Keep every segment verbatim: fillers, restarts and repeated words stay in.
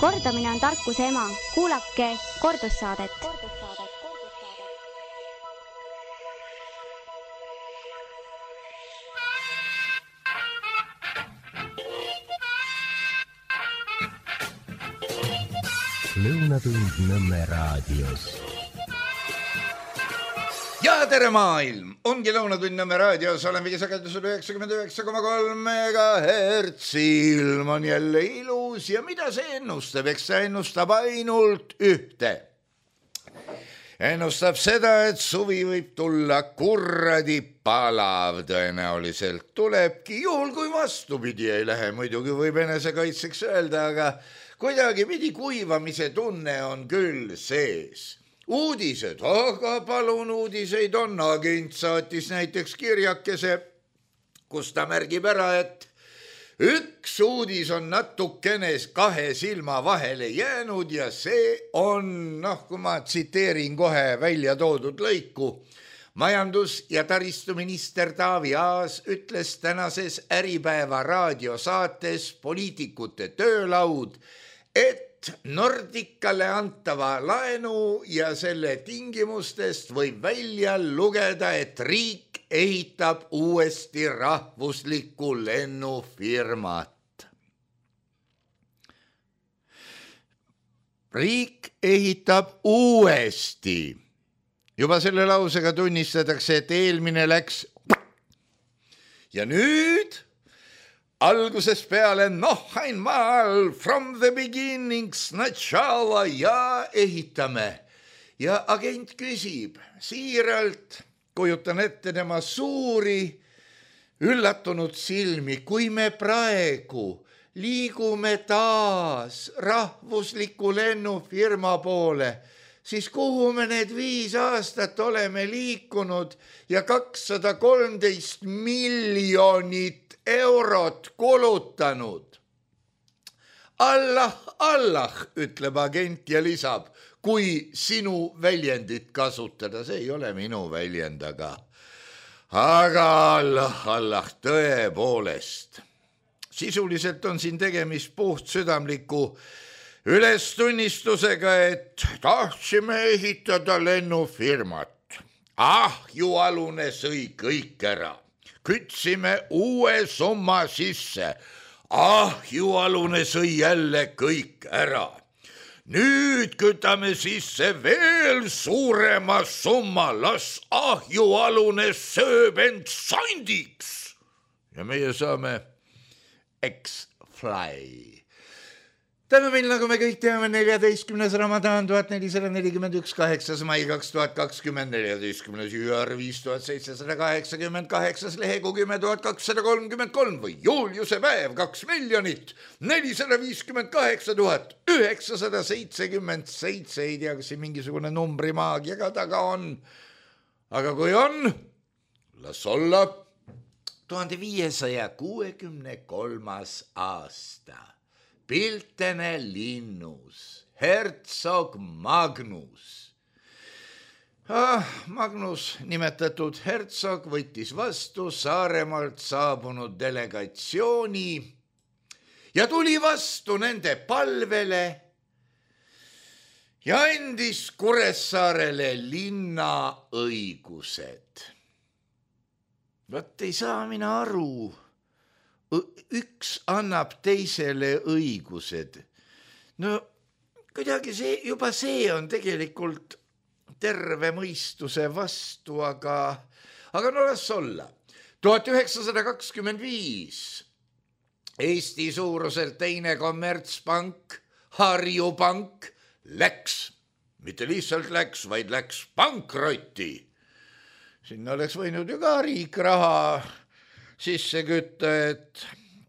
Kordamine on tarkuse ema. Kuulake kordussaadet. Lõunatund Nõmme raadios. Ja tere maailm! Ongi Lõunatund Nõmme raadios, olen vigisagedusel üheksakümmend üheksa koma kolm megahertsi. Ilm on jälle ilus ja mida see ennustab? Eks see ennustab ainult ühte. Ennustab seda, et suvi võib tulla kurradi palav. Tõenäoliselt tulebki, juhul kui vastupidi ei lähe. Muidugi võib enesekaitseks öelda, aga kuidagi pidi kuivamise tunne on küll sees. Uudised, aga palun uudiseid on. Agent saatis näiteks kirjakese, kus ta märgib ära, et üks uudis on natukene kahe silma vahele jäänud ja see on, noh, kui ma tsiteerin kohe välja toodud lõiku, majandus- ja taristuminister Taavi Aas ütles tänases Äripäeva raadiosaates Poliitikute töölaud, et Nordicale antava laenu ja selle tingimustest võib välja lugeda, et riik ehitab uuesti rahvuslikku lennufirmat. Riik ehitab uuesti. Juba selle lausega tunnistatakse, et eelmine läks. Ja nüüd algusest peale, noh, einmal, from the beginning, sначала ja ehitame. Ja agent küsib siiralt, kujutan ette tema suuri, üllatunud silmi, kui me praegu liigume taas rahvusliku lennufirma poole, siis kuhu me need viis aastat oleme liikunud ja kakssada kolmteist miljonit eurot kulutanud. Allah, Allah, ütleb agent ja lisab, kui sinu väljendit kasutada, see ei ole minu väljend, aga, aga Allah, Allah, tõepoolest. Sisuliselt on siin tegemist puhtsüdamliku ülestunnistusega, et tahtsime ehitada lennufirmat. Ahjualune sõi kõik ära. Kütsime uue summa sisse. Ahjualune sõi jälle kõik ära. Nüüd kütame sisse veel suurema summa. Las ahjualune sööb end sandiks. Ja meie saame X-Fly. Täna meil, nagu me kõik teame, neljateistkümnes Ramadan tuhat nelisada nelikümmend üks, kaheksas mai kaks tuhat kakskümmend, neljateistkümnes jüar viis tuhat seitsesada kaheksakümmend kaheksas lehegu kümme tuhat kakssada kolmkümmend kolm või Juliuse päev kaks miljonit nelisada viiskümmend kaheksa tuhat üheksasada seitsekümmend seitse. Ei tea, kas siin mingisugune numbrimaagia ka taga on. Aga kui on, las olla. tuhande viiesaja kuuekümne kolmas aasta. Piltene linnus, hertsog Magnus. Ah, Magnus, nimetatud hertsog, võttis vastu Saaremaalt saabunud delegatsiooni ja tuli vastu nende palvele ja andis Kuressaarele linna õigused. Vot ei saa mina aru. Üks annab teisele õigused. No kuidagi see, juba see on tegelikult terve mõistuse vastu, aga, aga no las olla. tuhat üheksasada kakskümmend viis Eesti suuruselt teine kommertspank, Harju Pank, läks, mitte lihtsalt läks, vaid läks pankrotti. Sinna oleks võinud ju ka riik raha sisse kütta, et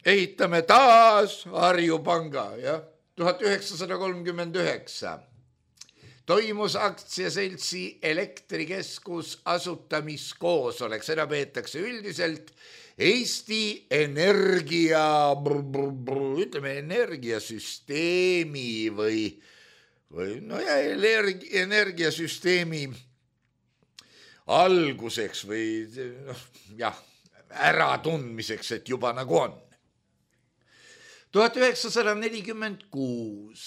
ehitame taas Harju Panga, jah, tuhat üheksasada kolmkümmend üheksa. Toimus aktsiaseltsi Elektrikeskus asutamiskoosolek, seda peetakse üldiselt Eesti Energia, ütleme energiasüsteemi või, või no ja energiasüsteemi alguseks või noh, jah, äratundmiseks, et juba nagu on. tuhat üheksasada nelikümmend kuus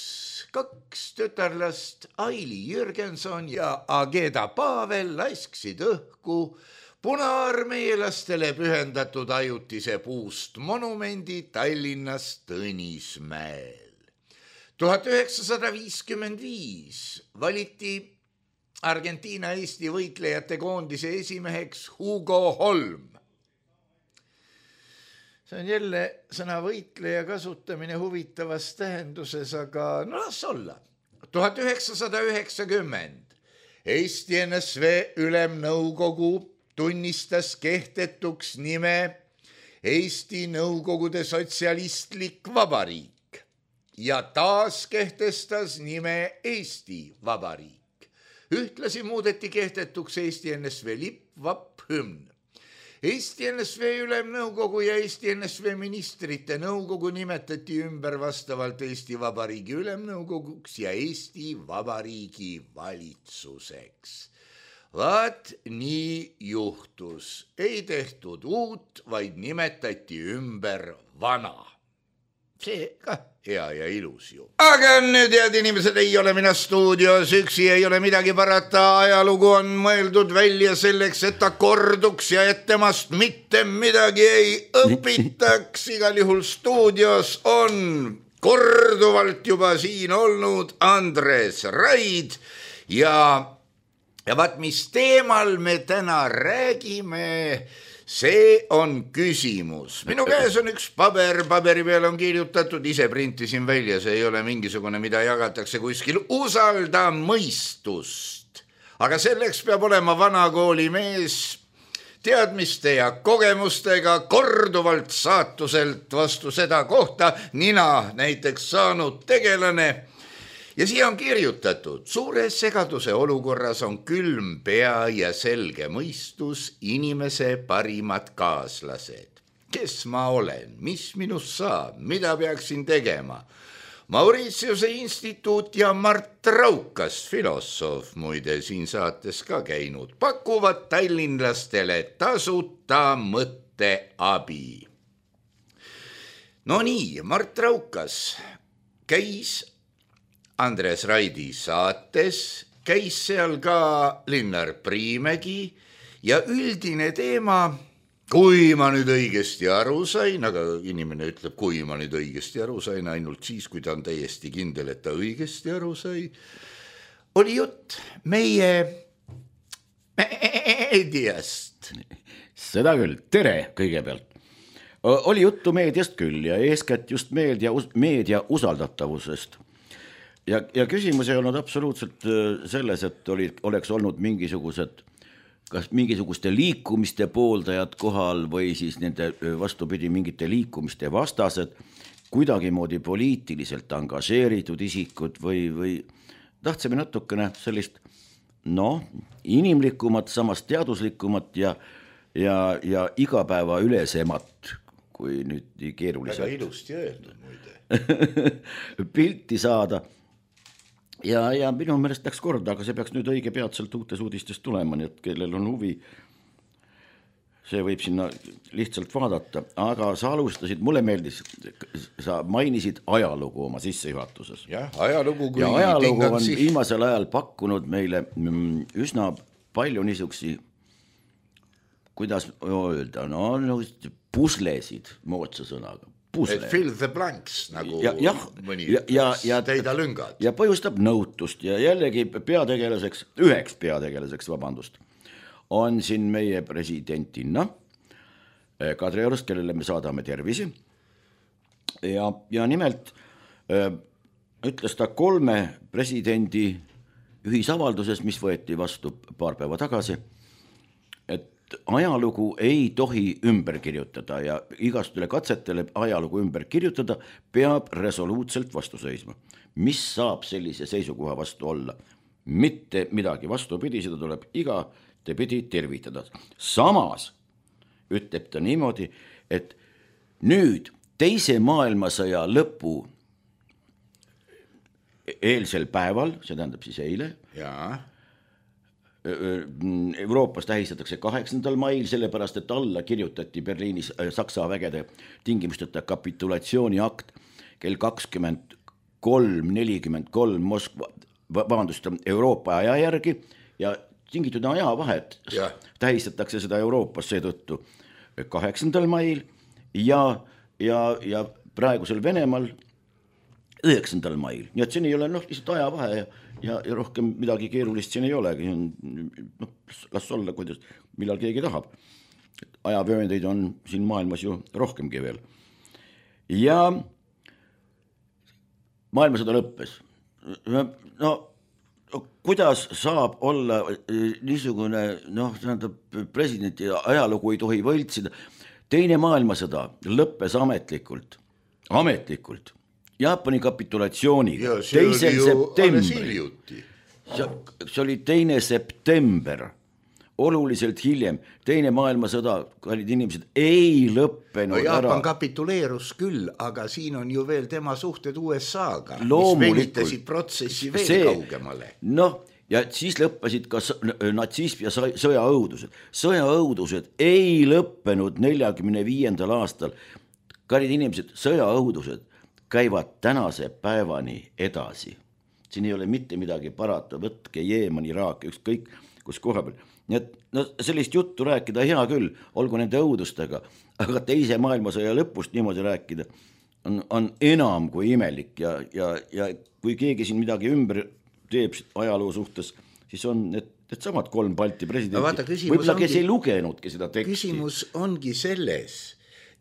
kaks tütarlast Aili Jürgenson ja Ageda Pavel lasksid õhku punaarmeelastele pühendatud ajutise puust monumendi Tallinnas Tõnismäel. tuhat üheksasada viiskümmend viis valiti Argentiina Eesti võitlejate koondise esimeheks Hugo Holm. See on jälle sõna võitleja kasutamine huvitavas tähenduses, aga no las olla. tuhat üheksasada üheksakümmend Eesti N S V Ülemnõukogu tunnistas kehtetuks nime Eesti Nõukogude Sotsialistlik Vabariik ja taas kehtestas nime Eesti Vabariik. Ühtlasi muudeti kehtetuks Eesti N S V lipp, vapp, hümn. Eesti N S V Ülemnõukogu ja Eesti N S V ministrite nõukogu nimetati ümber vastavalt Eesti Vabariigi Ülemnõukoguks ja Eesti Vabariigi valitsuseks. Vaat nii juhtus. Ei tehtud uut, vaid nimetati ümber vana. See ka hea ja ilus ju. Aga nüüd, head inimesed, ei ole mina stuudios üksi, ei ole midagi parata. Ajalugu on mõeldud välja selleks, et ta korduks ja et temast mitte midagi ei õpitaks. Igal juhul stuudios on korduvalt juba siin olnud Andres Raid ja, ja vaat mis teemal me täna räägime, see on küsimus. Minu käes on üks paber, paberi peal on kirjutatud, ise printisin välja, see ei ole mingisugune, mida jagatakse kuskil, usalda mõistust. Aga selleks peab olema vanakooli mees, teadmiste ja kogemustega, korduvalt saatuselt vastu seda kohta nina näiteks saanud tegelane. Ja siia on kirjutatud, suure segaduse olukorras on külm pea ja selge mõistus inimese parimad kaaslased. Kes ma olen, mis minust saab, mida peaksin tegema? Mauritiuse instituut ja Mart Raukas, filosoof, muide siin saates ka käinud, pakuvad tallinlastele tasuta mõtteabi. No nii, Mart Raukas käis Andres Raidi saates, käis seal ka Linnar Priimägi ja üldine teema, kui ma nüüd õigesti aru sain, aga inimene ütleb, kui ma nüüd õigesti aru sain, ainult siis, kui ta on täiesti kindel, et ta õigesti aru sai, oli jutt meie meediast. Seda küll, tere kõigepealt. Oli juttu meediast küll ja eeskätt just meedia, meedia usaldatavusest. Ja, ja küsimus ei olnud absoluutselt selles, et oli, oleks olnud mingisugused, kas mingisuguste liikumiste pooldajad kohal või siis nende vastupidi mingite liikumiste vastased, kuidagimoodi poliitiliselt angažeeritud isikud või, või tahtsime natukene sellist no, inimlikumat, samas teaduslikumat ja, ja, ja igapäeva ülesemat, kui nüüd keeruliselt. Väga ilusti öeldud muide. Pilti saada. Ja, ja minu meelest läks korda, aga see peaks nüüd õige peatselt uutes uudistest tulema, nii et kellel on huvi, see võib sinna lihtsalt vaadata. Aga sa alustasid, mulle meeldis, sa mainisid ajalugu oma sissejuhatuses. Jah, ajalugu kui ja ajalugu on viimasel ajal pakkunud meile üsna palju niisugusi, kuidas öelda, no, no puslesid moodsa sõnaga. Et fill the blanks, nagu ja, ja, mõni ja, ja, ja, teida lüngad. Ja põhjustab nõutust ja jällegi peategelaseks, üheks peategelaseks, vabandust, on siin meie presidentinna Kadriorust, kellele me saadame tervisi. Ja, ja nimelt ütles ta kolme presidendi ühisavalduses, mis võeti vastu paar päeva tagasi, et ajalugu ei tohi ümber kirjutada ja igastele katsetele ajalugu ümber kirjutada peab resoluutselt vastu seisma. Mis saab sellise seisukoha vastu olla? Mitte midagi vastupidi, seda tuleb iga te pidi tervitada. Samas ütleb ta niimoodi, et nüüd teise maailmasõja lõpu eelsel päeval, see tähendab siis eile, jaa, Euroopas tähistatakse kaheksandal mail, sellepärast, et alla kirjutati Berliinis Saksa vägede tingimusteta kapitulatsiooni akt kell kakskümmend kolm nelikümmend kolm Moskva, vabandust, Euroopa aja järgi ja tingitud ajavahet Ja. tähistatakse seda Euroopas seetõttu kaheksandal mail ja, ja, ja praegusel Venemaal üheksandal mail, nii et siin ei ole noh, lihtsalt ajavahe ja, ja, ja rohkem midagi keerulist siin ei olegi, noh, las olla, kuidas, millal keegi tahab. Ajavööndeid on siin maailmas ju rohkemgi veel. Ja maailmasõda lõppes. No kuidas saab olla niisugune, noh, tähendab, presidenti ajalugu ei tohi võltsida. Teine maailmasõda lõppes ametlikult, ametlikult Jaapani kapitulatsiooniga. Ja see oli ju alles hiljuti. See oli teine september, oluliselt hiljem. Teine maailmasõda, kallid inimesed, ei lõppenud no, Jaapan ära. kapituleerus küll, aga siin on ju veel tema suhted U S A-ga, Loomulikult. mis venitasid protsessi veel see, kaugemale. Noh, ja siis lõppesid ka natsism ja sõjaõudused. Sõjaõudused ei lõppenud neljakümne viiendal aastal. Kallid inimesed, sõjaõudused käivad tänase päevani edasi. Siin ei ole mitte midagi parata, võtke Jeeman, Iraak, ükskõik kus koha peal. Nii et no, sellist juttu rääkida hea küll, olgu nende õudustega, aga teise maailmasõja lõpust niimoodi rääkida on, on enam kui imelik ja, ja, ja kui keegi siin midagi ümber teeb ajaloo suhtes, siis on need, need samad kolm Balti presidenti. No, vaata, võib-olla kes ongi, ei lugenudki seda teksti. Küsimus ongi selles,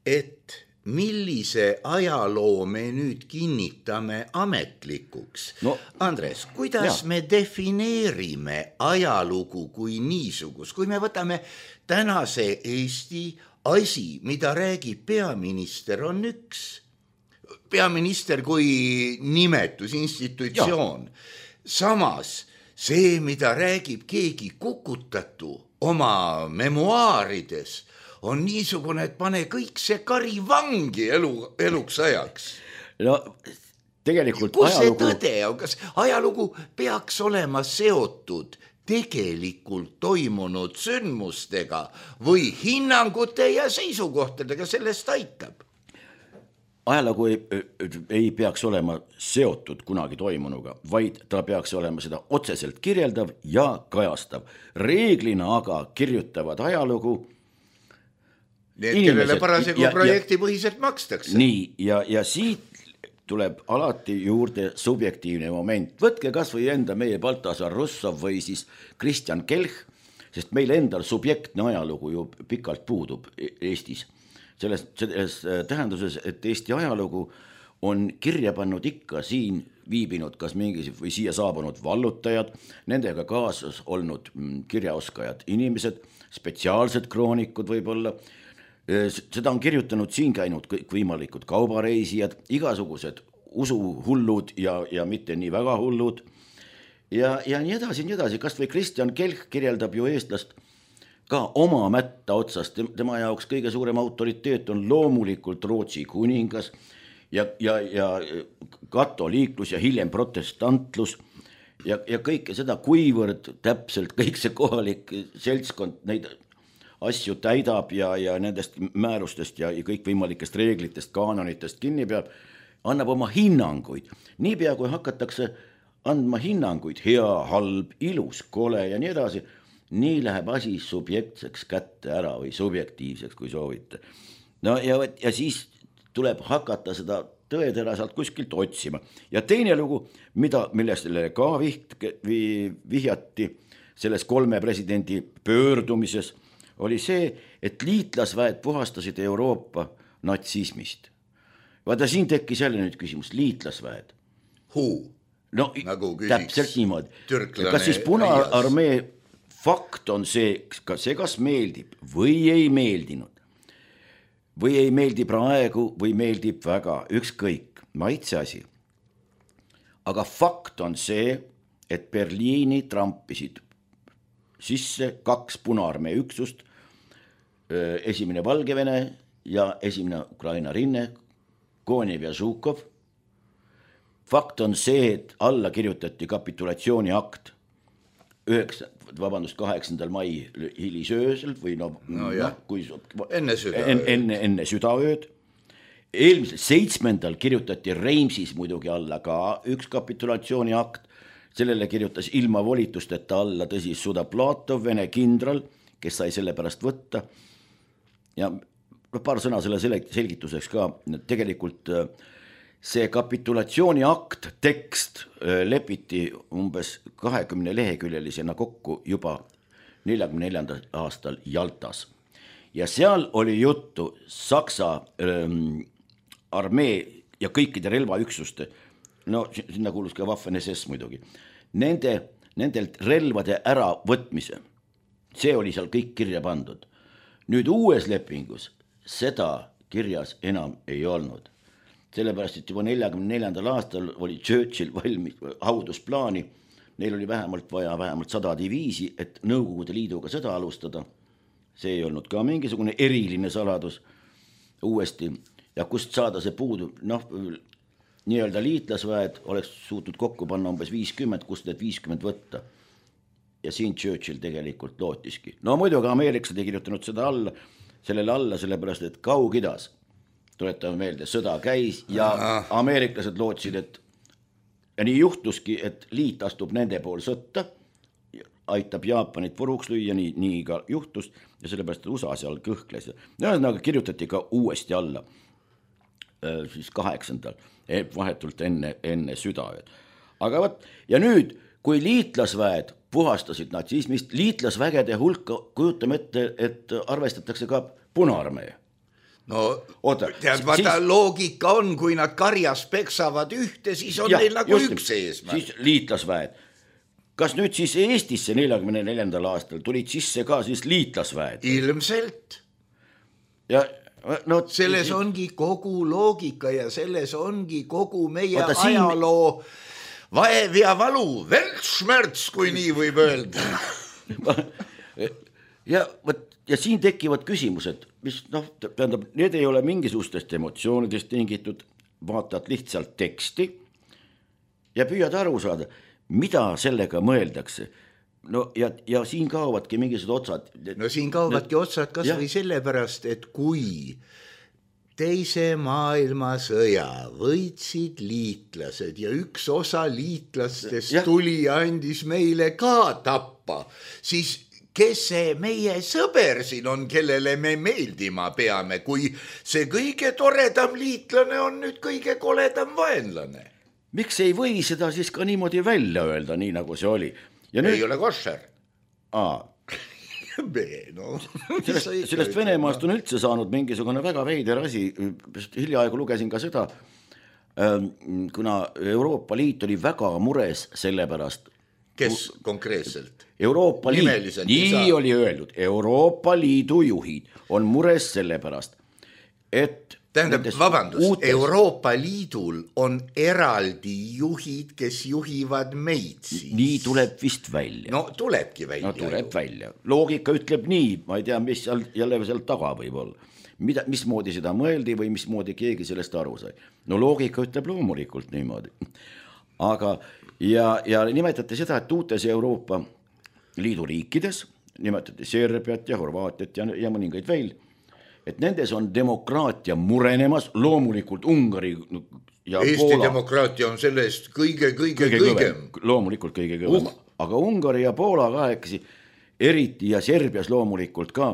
et millise ajaloo me nüüd kinnitame ametlikuks. No, Andres, kuidas ja. me defineerime ajalugu kui niisugus, kui me võtame tänase Eesti asi, mida räägib peaminister, on üks. Peaminister kui nimetus, institutsioon. Ja. Samas see, mida räägib keegi kukutatu oma memuaarides, on niisugune, et pane kõik see kari vangi elu, eluks ajaks. No tegelikult kus ajalugu... see tõde on, kas ajalugu peaks olema seotud tegelikult toimunud sündmustega või hinnangute ja seisukohtadega, sellest aitab? Ajalugu ei, ei peaks olema seotud kunagi toimunuga, vaid ta peaks olema seda otseselt kirjeldav ja kajastav. Reeglina aga kirjutavad ajalugu need, kellele parasegu projektipõhiselt makstakse. Nii, ja, ja siit tuleb alati juurde subjektiivne moment. Võtke kas või enda meie Baltasar Russov või siis Kristjan Kelch, sest meil endal subjektne ajalugu ju pikalt puudub Eestis. Selles, selles tähenduses, et Eesti ajalugu on kirja pannud ikka siin viibinud kas mingi või siia saabunud vallutajad, nendega kaasas olnud kirjaoskajad inimesed, spetsiaalsed kroonikud võib-olla. Seda on kirjutanud siin käinud kõik võimalikud kaubareisijad, igasugused usuhullud ja, ja mitte nii väga hullud ja, ja nii edasi, nii edasi. Kas või Kristjan Kelch kirjeldab ju eestlast ka oma mätta otsast. Tema jaoks kõige suurem autoriteet on loomulikult Rootsi kuningas ja, ja, ja katoliiklus ja hiljem protestantlus ja, ja kõike seda, kuivõrd täpselt kõik see kohalik seltskond neid asju täidab ja, ja nendest määrustest ja kõik võimalikest reeglitest, kaanonitest kinni peab, annab oma hinnanguid. Niipea kui hakatakse andma hinnanguid, hea, halb, ilus, kole ja nii edasi, nii läheb asi subjektseks kätte ära või subjektiivseks, kui soovite. No ja, ja siis tuleb hakata seda tõetera sealt kuskilt otsima. Ja teine lugu, mida, millest ka viht, vihjati selles kolme presidendi pöördumises, oli see, et liitlasväed puhastasid Euroopa natsismist. Vaata, siin tekkis jälle nüüd küsimus, liitlasväed. Huu, no, nagu täpselt niimoodi. Türklane kas siis Punaarmee fakt on see, kas see kas meeldib või ei meeldinud? Või ei meeldi praegu või meeldib väga, ükskõik, maitse asi. Aga fakt on see, et Berliini trampisid sisse kaks Punaarmee üksust, esimene Valgevene ja esimene Ukraina rinne, Konev ja Žukov. Fakt on see, et alla kirjutati kapitulatsiooni akt üheksa, vabandust, kaheksandal mai hilisöösel või no, no no kui, enne südaööd. Enne, enne südaööd eelmisel seitsmendal kirjutati Reimsis muidugi alla ka üks kapitulatsiooni akt, sellele kirjutas ilma volitusteta alla tõsi Sudaplatov, Vene kindral, kes sai selle pärast võtta ja paar sõna selle selgituseks ka, tegelikult see kapitulatsiooni akt, tekst lepiti umbes kahekümne leheküljelisena kokku juba neljakümne neljandal aastal Jaltas ja seal oli juttu Saksa ähm, armee ja kõikide relvaüksuste, no sinna kuulus ka Waffen S S muidugi, nende, nendelt relvade äravõtmise, see oli seal kõik kirja pandud. Nüüd uues lepingus seda kirjas enam ei olnud. Sellepärast, et juba neljakümne neljandal aastal oli Churchill valmis haudusplaani, neil oli vähemalt vaja vähemalt sada diviisi, et Nõukogude Liiduga seda alustada. See ei olnud ka mingisugune eriline saladus uuesti ja kust saada see puudu, noh, nii-öelda liitlasväed oleks suutnud kokku panna umbes viiskümmend, kust need viiskümmend võtta. Ja siin Churchill tegelikult lootiski. No muidugi ameeriklased ei kirjutanud seda alla, sellele alla, sellepärast, et Kaug-Idas, tuletame meelde, sõda käis ja ameeriklased lootsid, et ja nii juhtuski, et liit astub nende pool sõtta, aitab Jaapanit puruks lüüa, nii, nii ka juhtus ja sellepärast, et U S A seal kõhkles. Ühesõnaga kirjutati ka uuesti alla siis kaheksandal, vahetult enne, enne südaööd. Aga võt, ja nüüd, kui liitlasväed puhastasid natsismist, liitlasvägede hulka kujutame ette, et arvestatakse ka Punaarmee. No, Oota, tead, vaata siis, loogika on, kui nad karjas peksavad ühte, siis on ja, neil nagu just, üks eesmärk. Siis liitlasväed. Kas nüüd siis Eestisse neljakümne neljandal aastal tulid sisse ka siis liitlasväed? Ilmselt. Ja no, selles siis, ongi kogu loogika ja selles ongi kogu meie Oota, ajaloo siin... vaev ja valu, Weltschmerz, kui nii võib öelda. ja, võt, ja siin tekivad küsimused, mis noh, tähendab, need ei ole mingisugustest emotsioonidest tingitud, vaatad lihtsalt teksti ja püüad aru saada, mida sellega mõeldakse. No ja, ja siin kaovadki mingisugused otsad. No siin kaovadki need... otsad kas ja. Või sellepärast, et kui teise maailmasõja võitsid liitlased ja üks osa liitlastest ja. Tuli ja andis meile ka tappa, siis kes see meie sõber siin on, kellele me meeldima peame, kui see kõige toredam liitlane on nüüd kõige koledam vaenlane? Miks ei või seda siis ka niimoodi välja öelda, nii nagu see oli? Ja nüüd... Ei ole košer. Aa. No, sellest, sellest Venemaast on üldse saanud mingisugune väga veider asi, hiljaaegu lugesin ka seda, kuna Euroopa Liit oli väga mures selle pärast. Kes konkreetselt? Euroopa Liit, nii oli öeldud, Euroopa Liidu juhid on mures selle pärast, et tähendab, vabandust, uutes... Euroopa Liidul on eraldi juhid, kes juhivad meid siis. Nii tuleb vist välja. No tulebki välja. No tuleb ju. Välja. Loogika ütleb nii, ma ei tea, mis seal, jälle seal taga võib olla. Mida, mismoodi seda mõeldi või mismoodi keegi sellest aru sai. No loogika ütleb loomulikult niimoodi. Aga ja, ja nimetati seda, et uutes Euroopa Liidu riikides, nimetati Serbiat ja Horvaatiat ja, ja mõningaid veel, et nendes on demokraatia murenemas, loomulikult Ungari ja Eesti Poola. Demokraatia on sellest kõige, kõige, kõige kõigem. Loomulikult kõige kõigem. Uh. Aga Ungari ja Poola kahekesi, eriti ja Serbias loomulikult ka,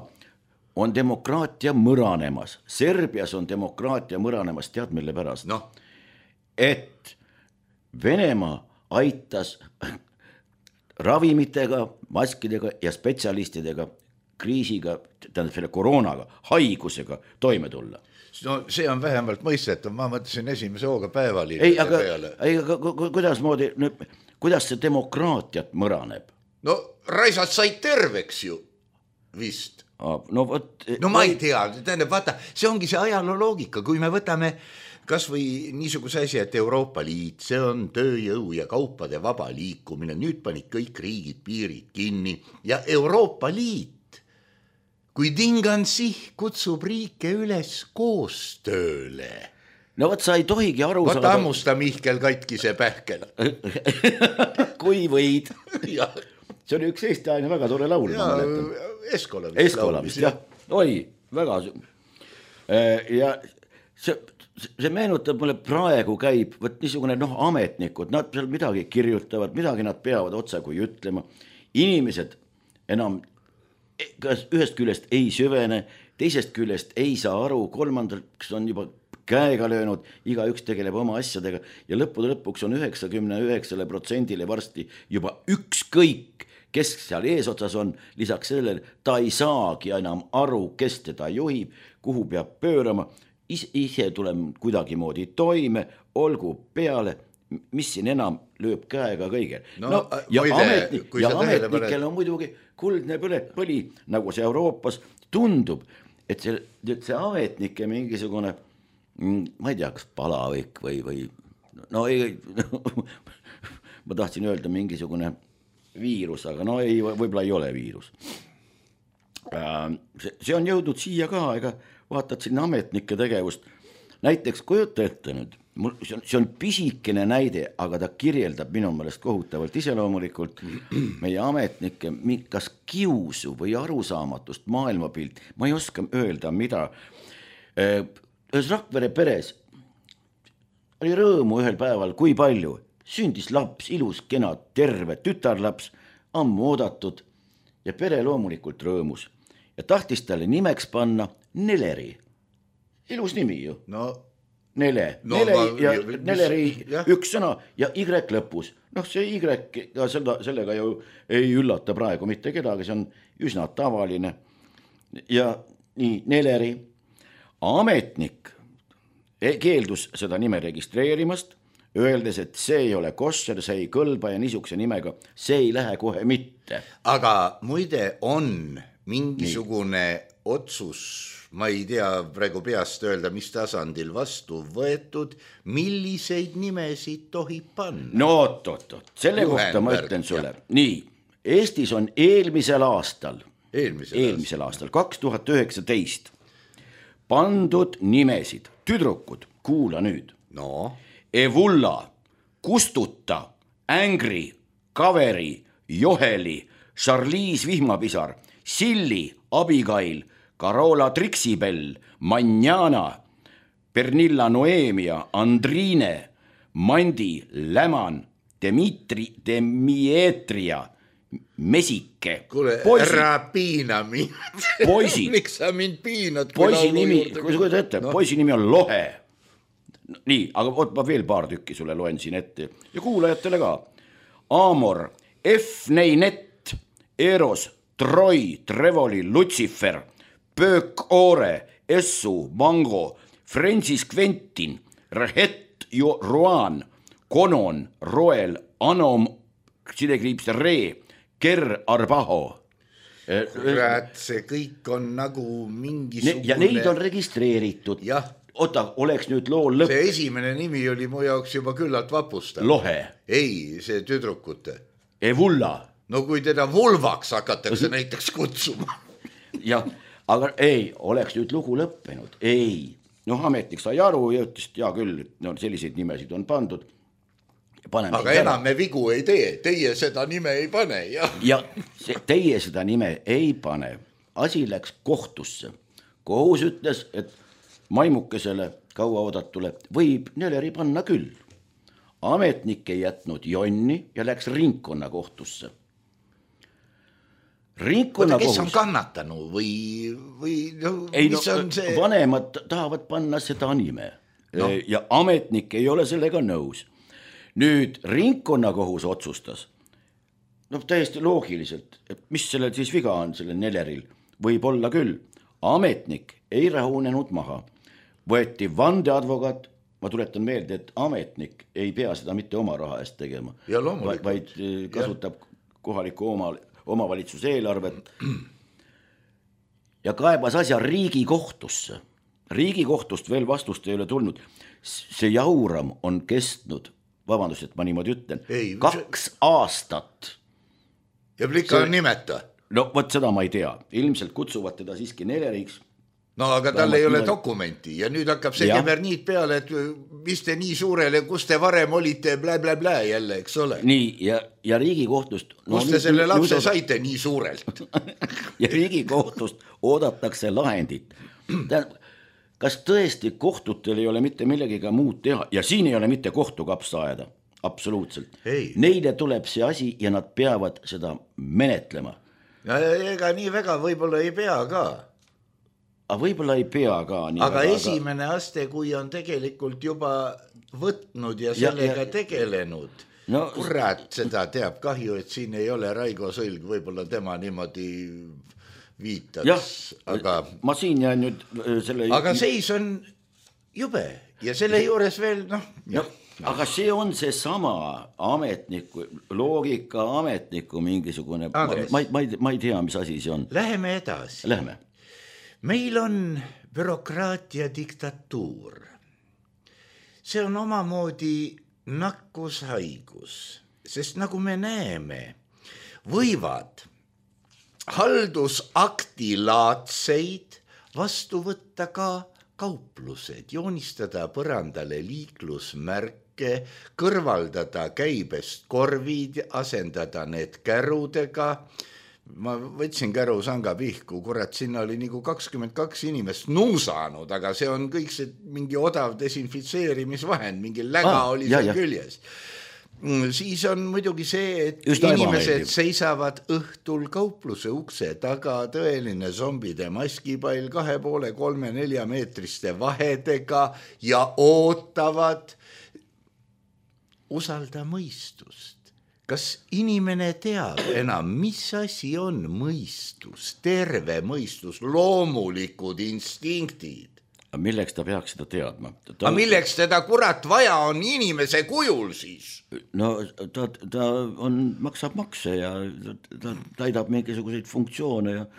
on demokraatia mõranemas. Serbias on demokraatia mõranemas, tead mille pärast? No. Et Venemaa aitas ravimitega, maskidega ja spetsialistidega kriisiga, tähendab selle koroonaga, haigusega toime tulla. No see on vähemalt mõistetav, ma mõtlesin esimese hooga päeval. Ei, aga, ei, aga kuidas, moodi, kuidas see demokraatiat mõraneb? No raisad said terveks ju, vist. No, võt, no ma ei tea, tähendab, vaata, see ongi see ajaloo loogika, kui me võtame kas või niisuguse asi, et Euroopa Liit, see on tööjõu ja kaupade vaba liikumine, nüüd panid kõik riigid piirid kinni ja Euroopa Liit, kui Dingansi kutsub riike üles koostööle. No võt, sa ei tohigi aru saada. Võt ammusta Mihkel katkise pähkel. Kui võid. See oli üks Eesti aine väga tore laul. Ja, Eskola vist. Eskola vist, jah. Oi, väga. Ja see, see meenutab mulle praegu käib, võt niisugune noh, ametnikud, nad seal midagi kirjutavad, midagi nad peavad otsa kui ütlema. Inimesed enam kas ühest küljest ei süvene, teisest küljest ei saa aru, kolmandaks on juba käega löönud, iga üks tegeleb oma asjadega ja lõppude lõpuks on üheksakümne üheksale protsendile varsti juba ükskõik, kes seal eesotsas on, lisaks sellele ta ei saagi enam aru, kes teda juhib, kuhu peab pöörama, ise, ise tulem kuidagi moodi toime, olgu peale, mis siin enam lööb käega kõige. No, no, ja muide, ametnik, ja ametnikel on muidugi kuldne põle, põli, nagu see Euroopas tundub, et see, see ametnike mingisugune, ma ei tea, kas palavik või, või no ei, ma tahtsin öelda mingisugune viirus, aga no ei, võib-olla ei ole viirus. See, see on jõudnud siia ka, ega vaatad sinna ametnike tegevust. Näiteks kujuta ette nüüd, see on, see on pisikene näide, aga ta kirjeldab minu meelest kohutavalt iseloomulikult meie ametnike kas kiusu või arusaamatust maailmapilt, ma ei oska öelda, mida. Ühes Rakvere peres oli rõõmu ühel päeval, kui palju sündis laps, ilus, kena, terve tütarlaps, ammu oodatud ja pere loomulikult rõõmus ja tahtis talle nimeks panna Neleri. Ilus nimi ju. No, Nele. No, Nele ma, ja mis, Neleri jah. Üks sõna ja Y lõpus. Noh, see Y sellega, sellega ju ei üllata praegu mitte kedagi, see on üsna tavaline. Ja nii, Neleri. Ametnik keeldus seda nime registreerimast, öeldes, et see ei ole kosser, see ei kõlba ja niisuguse nimega, see ei lähe kohe mitte. Aga muide on mingisugune nii. Otsus, ma ei tea praegu peast öelda, mis tasandil vastu võetud, milliseid nimesid tohib panna? No oot, oot, oot, selle Juhenberg, kohta ma ütlen sulle. Ja. Nii, Eestis on eelmisel aastal, eelmisel, eelmisel aastal, kaks tuhat üheksateist pandud nimesid, tüdrukud, kuula nüüd. No. Evulla, Kustuta, Ängri, Kaveri, Joheli, Charlize Vihmapisar, Silli, Abigail, Carola Trixibel, Manjana, Pernilla Noemia, Andriine, Mandi, Läman, Demitri, Demietria, Mesike. Kuule, ära piina mind. Poisid. Miks sa mind piinad? Poisi nimi, kui sa kuuled ette, no. Poisi nimi on Lohe. Nii, aga oot, ma veel paar tükki sulle loen siin ette. Ja kuulajatele ka. Amor, F. Neinet, Eros, Troi, Trevoli, Lucifer, Pöök Oore, Essu, Mango, Francis Quentin, Rehet, Roan, Konon, Roel, Anom, sidekriips Ree, Ker Arbaho. Kurat, see kõik on nagu mingisugune... Ja neid on registreeritud. Jah. Ota, oleks nüüd loo lõpp. See esimene nimi oli mu jaoks juba küllalt vapustav. Lohe. Ei, see tüdrukute. Evulla. No kui teda vulvaks hakatakse näiteks kutsuma. Ja, aga ei, oleks nüüd lugu lõppenud. Ei, noh, ametnik sai aru ja ütles, ja küll, no selliseid nimesid on pandud. Paneme aga enam me vigu ei tee, teie seda nime ei pane. Ja, ja see, teie seda nime ei pane. Asi läks kohtusse. Kohus ütles, et maimukesele kaua oodatule võib Neleri panna küll. Ametnik ei jätnud jonni ja läks ringkonna kohtusse. Ringkonna Oota, kes kohus... on kannatanu või, või no, ei, mis no, on see? Vanemad tahavad panna seda nime no. Ja ametnik ei ole sellega nõus. Nüüd ringkonna kohus otsustas, no täiesti loogiliselt, et mis sellel siis viga on, sellel Neleril, võib olla küll. Ametnik ei rahunenud maha. Võeti vandeadvokaat, ma tuletan meelde, et ametnik ei pea seda mitte oma raha eest tegema, vaid kasutab ja. Kohaliku oma, omavalitsuse eelarvet ja kaebas asja Riigikohtusse. Riigikohtust veel vastust ei ole tulnud. See jauram on kestnud, vabandust, et ma niimoodi ütlen, ei, kaks see... aastat. Ja plika on nimeta? No võt seda ma ei tea, ilmselt kutsuvad teda siiski Neleriks. No aga tal ei ole dokumenti ja nüüd hakkab see keverniit peale, et mis te nii suurele, kus te varem olite, blä, blä, blä jälle, eks ole. Nii, ja, ja Riigikohtust... No, kus te selle nüüd, lapse nüüd... saite nii suurelt? Ja Riigikohtust oodatakse lahendit. kas tõesti kohtutel ei ole mitte millegiga muud teha ja siin ei ole mitte kohtukapsa ajada, absoluutselt. Ei. Neile tuleb see asi ja nad peavad seda menetlema. Ja ega nii väga võib-olla ei pea ka. Aga võib-olla ei pea ka. Nii aga väga, esimene aga... aste, kui on tegelikult juba võtnud ja sellega ja, ja... tegelenud, no, kurat, seda teab kahju, et siin ei ole Raigo Sõlg, võib-olla tema niimoodi viitaks. Jah, aga... ma siin jään nüüd selle... Aga seis on jube ja selle juures veel, noh... No, aga see on see sama ametniku, loogika ametniku mingisugune... Ma, ma, ma, ei, ma ei tea, mis asi see on. Läheme edasi. Läheme. Meil on bürokraatia diktatuur. See on omamoodi nakkushaigus, sest nagu me näeme, võivad haldusakti laadseid vastu võtta ka kauplused, joonistada põrandale liiklusmärke, kõrvaldada käibest korvid, asendada need kärudega. Ma võtsin käru sanga pihku, kurat, sinna oli nagu kakskümmend kaks inimest nuusanud, aga see on kõik see mingi odav desinfitseerimisvahend, mingi läga ah, oli seal küljes. Siis on muidugi see, et just inimesed seisavad õhtul kaupluse ukse taga, tõeline zombide maskipall kahe poole, kolme, nelja meetriste vahedega ja ootavad usalda mõistust. Kas inimene teab enam, mis asi on mõistus, terve mõistus, loomulikud instinktid? Milleks ta peaks seda teadma? Ta... Aga milleks teda kurat vaja on inimese kujul siis? No ta, ta on, maksab makse ja ta täidab mingisuguseid funktsioone ja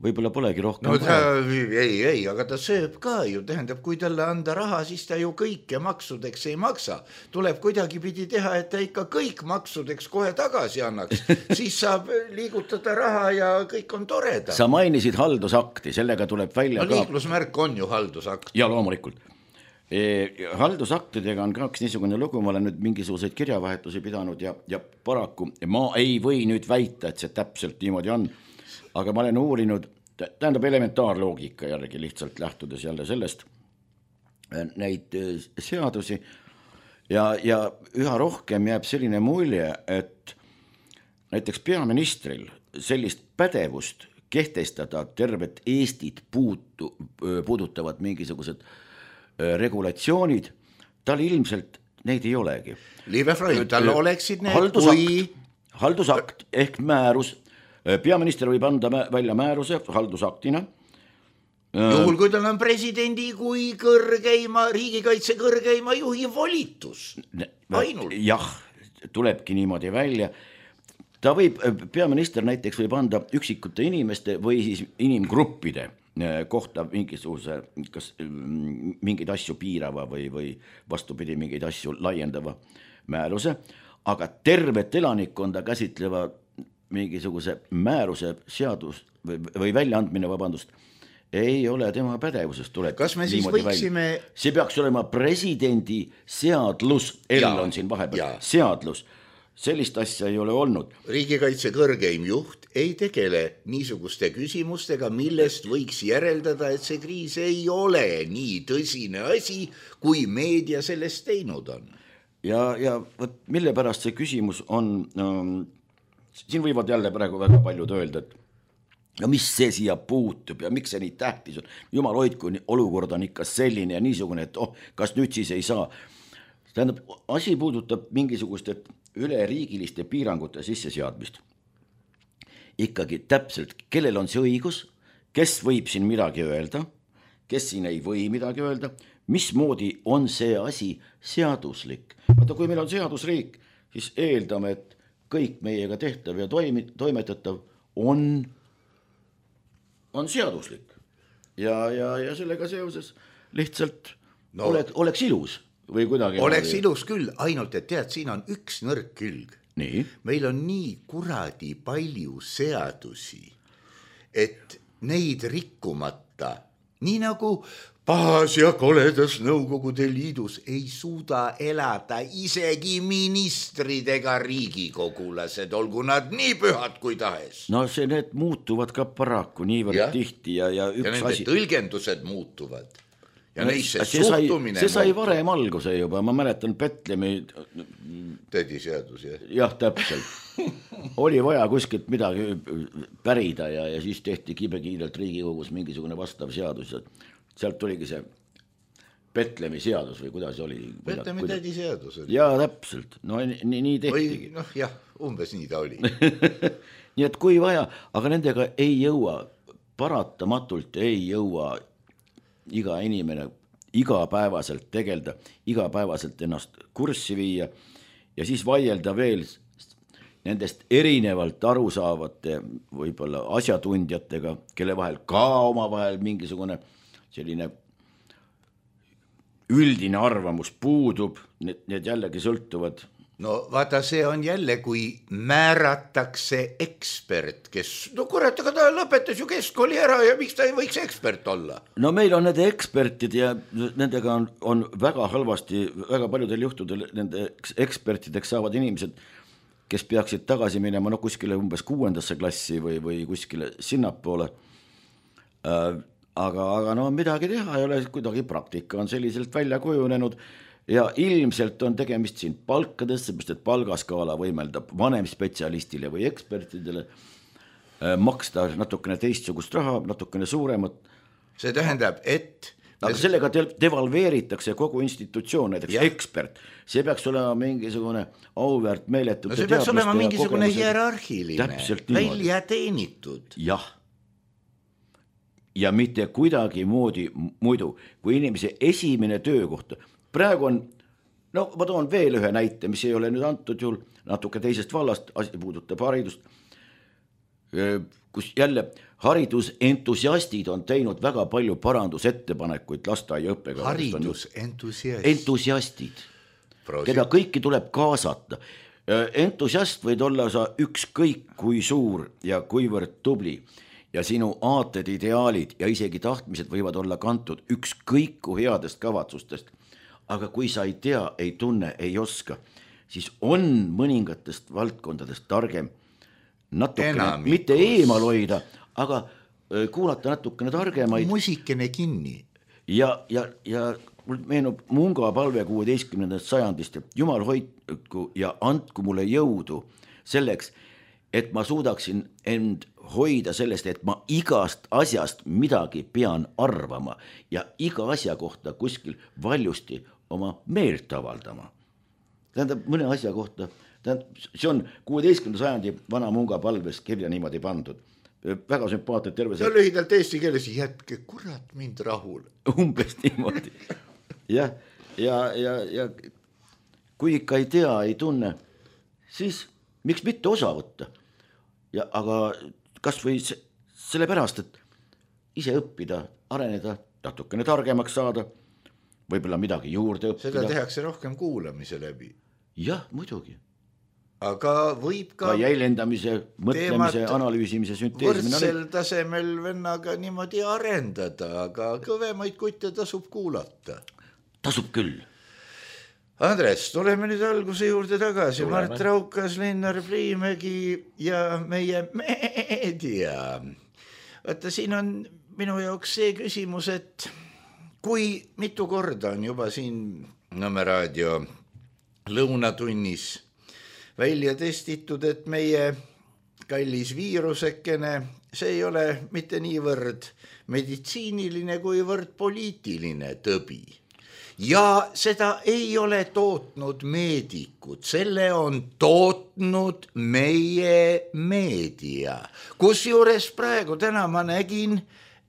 võib-olla polegi rohkem. No ta, ei, ei, aga ta sööb ka ju, tähendab, kui talle anda raha, siis ta ju kõike maksudeks ei maksa. Tuleb kuidagi pidi teha, et ta ikka kõik maksudeks kohe tagasi annaks. Siis saab liigutada raha ja kõik on toreda. Sa mainisid haldusakti, sellega tuleb välja no, ka... liiklusmärk on ju haldusakt. Ja loomulikult. E, haldusaktidega on kaks niisugune lugu, ma olen nüüd mingisuguseid kirjavahetusi pidanud ja, ja paraku ma ei või nüüd väita, et see täpselt niimoodi on. Aga ma olen uurinud, tähendab elementaarloogika jällegi lihtsalt lähtudes jälle sellest neid seadusi ja, ja üha rohkem jääb selline mulje, et näiteks peaministril sellist pädevust kehtestada tervet Eestit puutu, puudutavad mingisugused regulatsioonid, tal ilmselt neid ei olegi. Liive Freund, tal oleksid need haldusakt, kui... haldusakt ehk määrus. Peaminister võib anda välja määruse haldusaktina. Juhul, kui tal on presidendi kui kõrgeima, riigikaitse kõrgeima juhi volitus. Ainult. Jah, tulebki niimoodi välja. Ta võib, peaminister näiteks võib anda üksikute inimeste või siis inimgruppide kohta mingisuguse, kas mingeid asju piirava või, või vastupidi mingeid asju laiendava määruse, aga tervet elanikkonda käsitleva mingisuguse määruse seadus või, või väljaandmine, vabandust, ei ole tema pädevusest tuleb. Kas me siis võiksime... Välja. See peaks olema presidendi seadlus, L on siin vahepeal, seadlus. Sellist asja ei ole olnud. Riigikaitse kõrgeim juht ei tegele niisuguste küsimustega, millest võiks järeldada, et see kriis ei ole nii tõsine asi, kui meedia sellest teinud on. Ja, ja võt, mille pärast see küsimus on... Um, siin võivad jälle praegu väga paljud öelda, et ja mis see siia puutub ja miks see nii tähtis on. Jumal hoidku, olukord on ikka selline ja niisugune, et oh, kas nüüd siis ei saa. Tähendab, asi puudutab mingisugust üleriigiliste piirangute sisseseadmist. Ikkagi täpselt, kellel on see õigus, kes võib siin midagi öelda, kes siin ei või midagi öelda, mismoodi on see asi seaduslik. Vaata, kui meil on seadusriik, siis eeldame, et kõik meiega tehtav ja toimi, toimetatav on, on seaduslik. Ja, ja, ja sellega seoses lihtsalt no, oleks, oleks ilus või kuidagi. Oleks ilus küll, ainult et tead, siin on üks nõrk külg. Nii? Meil on nii kuradi palju seadusi, et neid rikkumata, nii nagu pahas ja koledas Nõukogude Liidus ei suuda elada isegi ministrid ega riigikogulased, olgu nad nii pühad kui tahes. No see need muutuvad ka paraku niivõrd ja. Tihti ja, ja üks ja nende asi. Tõlgendused muutuvad. ja neisse see sai, suhtumine see sai varem alguse juba, ma mäletan Betlemi tädiseadus, jah. jah, täpselt. Oli vaja kuskilt midagi pärida ja, ja siis tehti kibekiirelt Riigikogus mingisugune vastav seadus ja sealt tuligi see Betlemi seadus või kuidas oli? Betlemi tädiseadus oli. Jaa, täpselt, no nii, nii tehtigi. Või noh, jah, umbes nii ta oli. Nii et kui vaja, aga nendega ei jõua, paratamatult ei jõua iga inimene igapäevaselt tegelda, igapäevaselt ennast kurssi viia ja siis vaielda veel nendest erinevalt arusaavate võib-olla asjatundjatega, kelle vahel ka oma vahel mingisugune selline üldine arvamus puudub, need, need jällegi sõltuvad. No vaata, see on jälle, kui määratakse ekspert, kes, no kurat, aga ta lõpetas ju keskkooli ära ja miks ta ei võiks ekspert olla? No meil on nende ekspertid ja nendega on, on väga halvasti, väga paljudel juhtudel nende ekspertideks saavad inimesed, kes peaksid tagasi minema no kuskile umbes kuuendasse klassi või, või kuskile sinnapoole. Äh, aga, aga no midagi teha ei ole, kuidagi praktika on selliselt välja kujunenud ja ilmselt on tegemist siin palkadest, seepärast et palgaskaala võimeldab vanem spetsialistile või ekspertidele äh, maksta natukene teistsugust raha, natukene suuremat. See tähendab, et aga sellega devalveeritakse kogu institutsioon, näiteks ja. Ekspert. See peaks olema mingisugune auväärt meeletute no see peaks olema mingisugune hierarhiline, välja teenitud. Jah. Ja mitte kuidagi moodi muidu, kui inimese esimene töökoht. Praegu on, no ma toon veel ühe näite, mis ei ole nüüd antud juhul natuke teisest vallast, asi puudutab haridust, kus jälle haridusentusiastid on teinud väga palju parandusettepanekuid lasteaia õppega. Haridusentusiastid. Entusiastid, keda kõiki tuleb kaasata. Entusiast võid olla sa ükskõik kui suur ja kuivõrd tubli ja sinu aated, ideaalid ja isegi tahtmised võivad olla kantud ükskõiku headest kavatsustest. Aga kui sa ei tea, ei tunne, ei oska, siis on mõningatest valdkondadest targem natukene, mitte eemal hoida, aga kuulata natukene targemaid. Musikene kinni. Ja, ja, ja mul meenub Munga palve kuueteistkümnendast sajandist, et Jumal hoidku ja andku mulle jõudu selleks, et ma suudaksin end hoida sellest, et ma igast asjast midagi pean arvama ja iga asja kohta kuskil valjusti oma meelt avaldama. Tähendab, mõne asja kohta, tähendab, see on kuueteistkümnenda sajandi vana Munga palves kirja niimoodi pandud. Väga sümpaatne terve see. No lühidalt eesti keeles, jätke kurat mind rahul. Umbes niimoodi. Ja, ja, ja, ja kui ikka ei tea, ei tunne, siis miks mitte osa võtta? Ja, aga kas või sellepärast, et ise õppida, areneda, natukene targemaks saada, võib-olla midagi juurde õppida. Seda tehakse rohkem kuulamise läbi. Jah, muidugi. Aga võib ka... Ka jäljendamise, mõtlemise, analüüsimise, sünteesimine. Võrdsel tasemel vennaga niimoodi arendada, aga kõvemaid kutte tasub kuulata. Tasub küll. Andres, tuleme nüüd alguse juurde tagasi. Tuleme. Mart Raukas, Linnar Priimägi ja meie meedia. Vaata, siin on minu jaoks see küsimus, et kui mitu korda on juba siin Nõmme raadio lõunatunnis välja testitud, et meie kallis viirusekene, see ei ole mitte niivõrd meditsiiniline kuivõrd poliitiline tõbi. Ja seda ei ole tootnud meedikud, selle on tootnud meie meedia. Kus juures praegu täna ma nägin,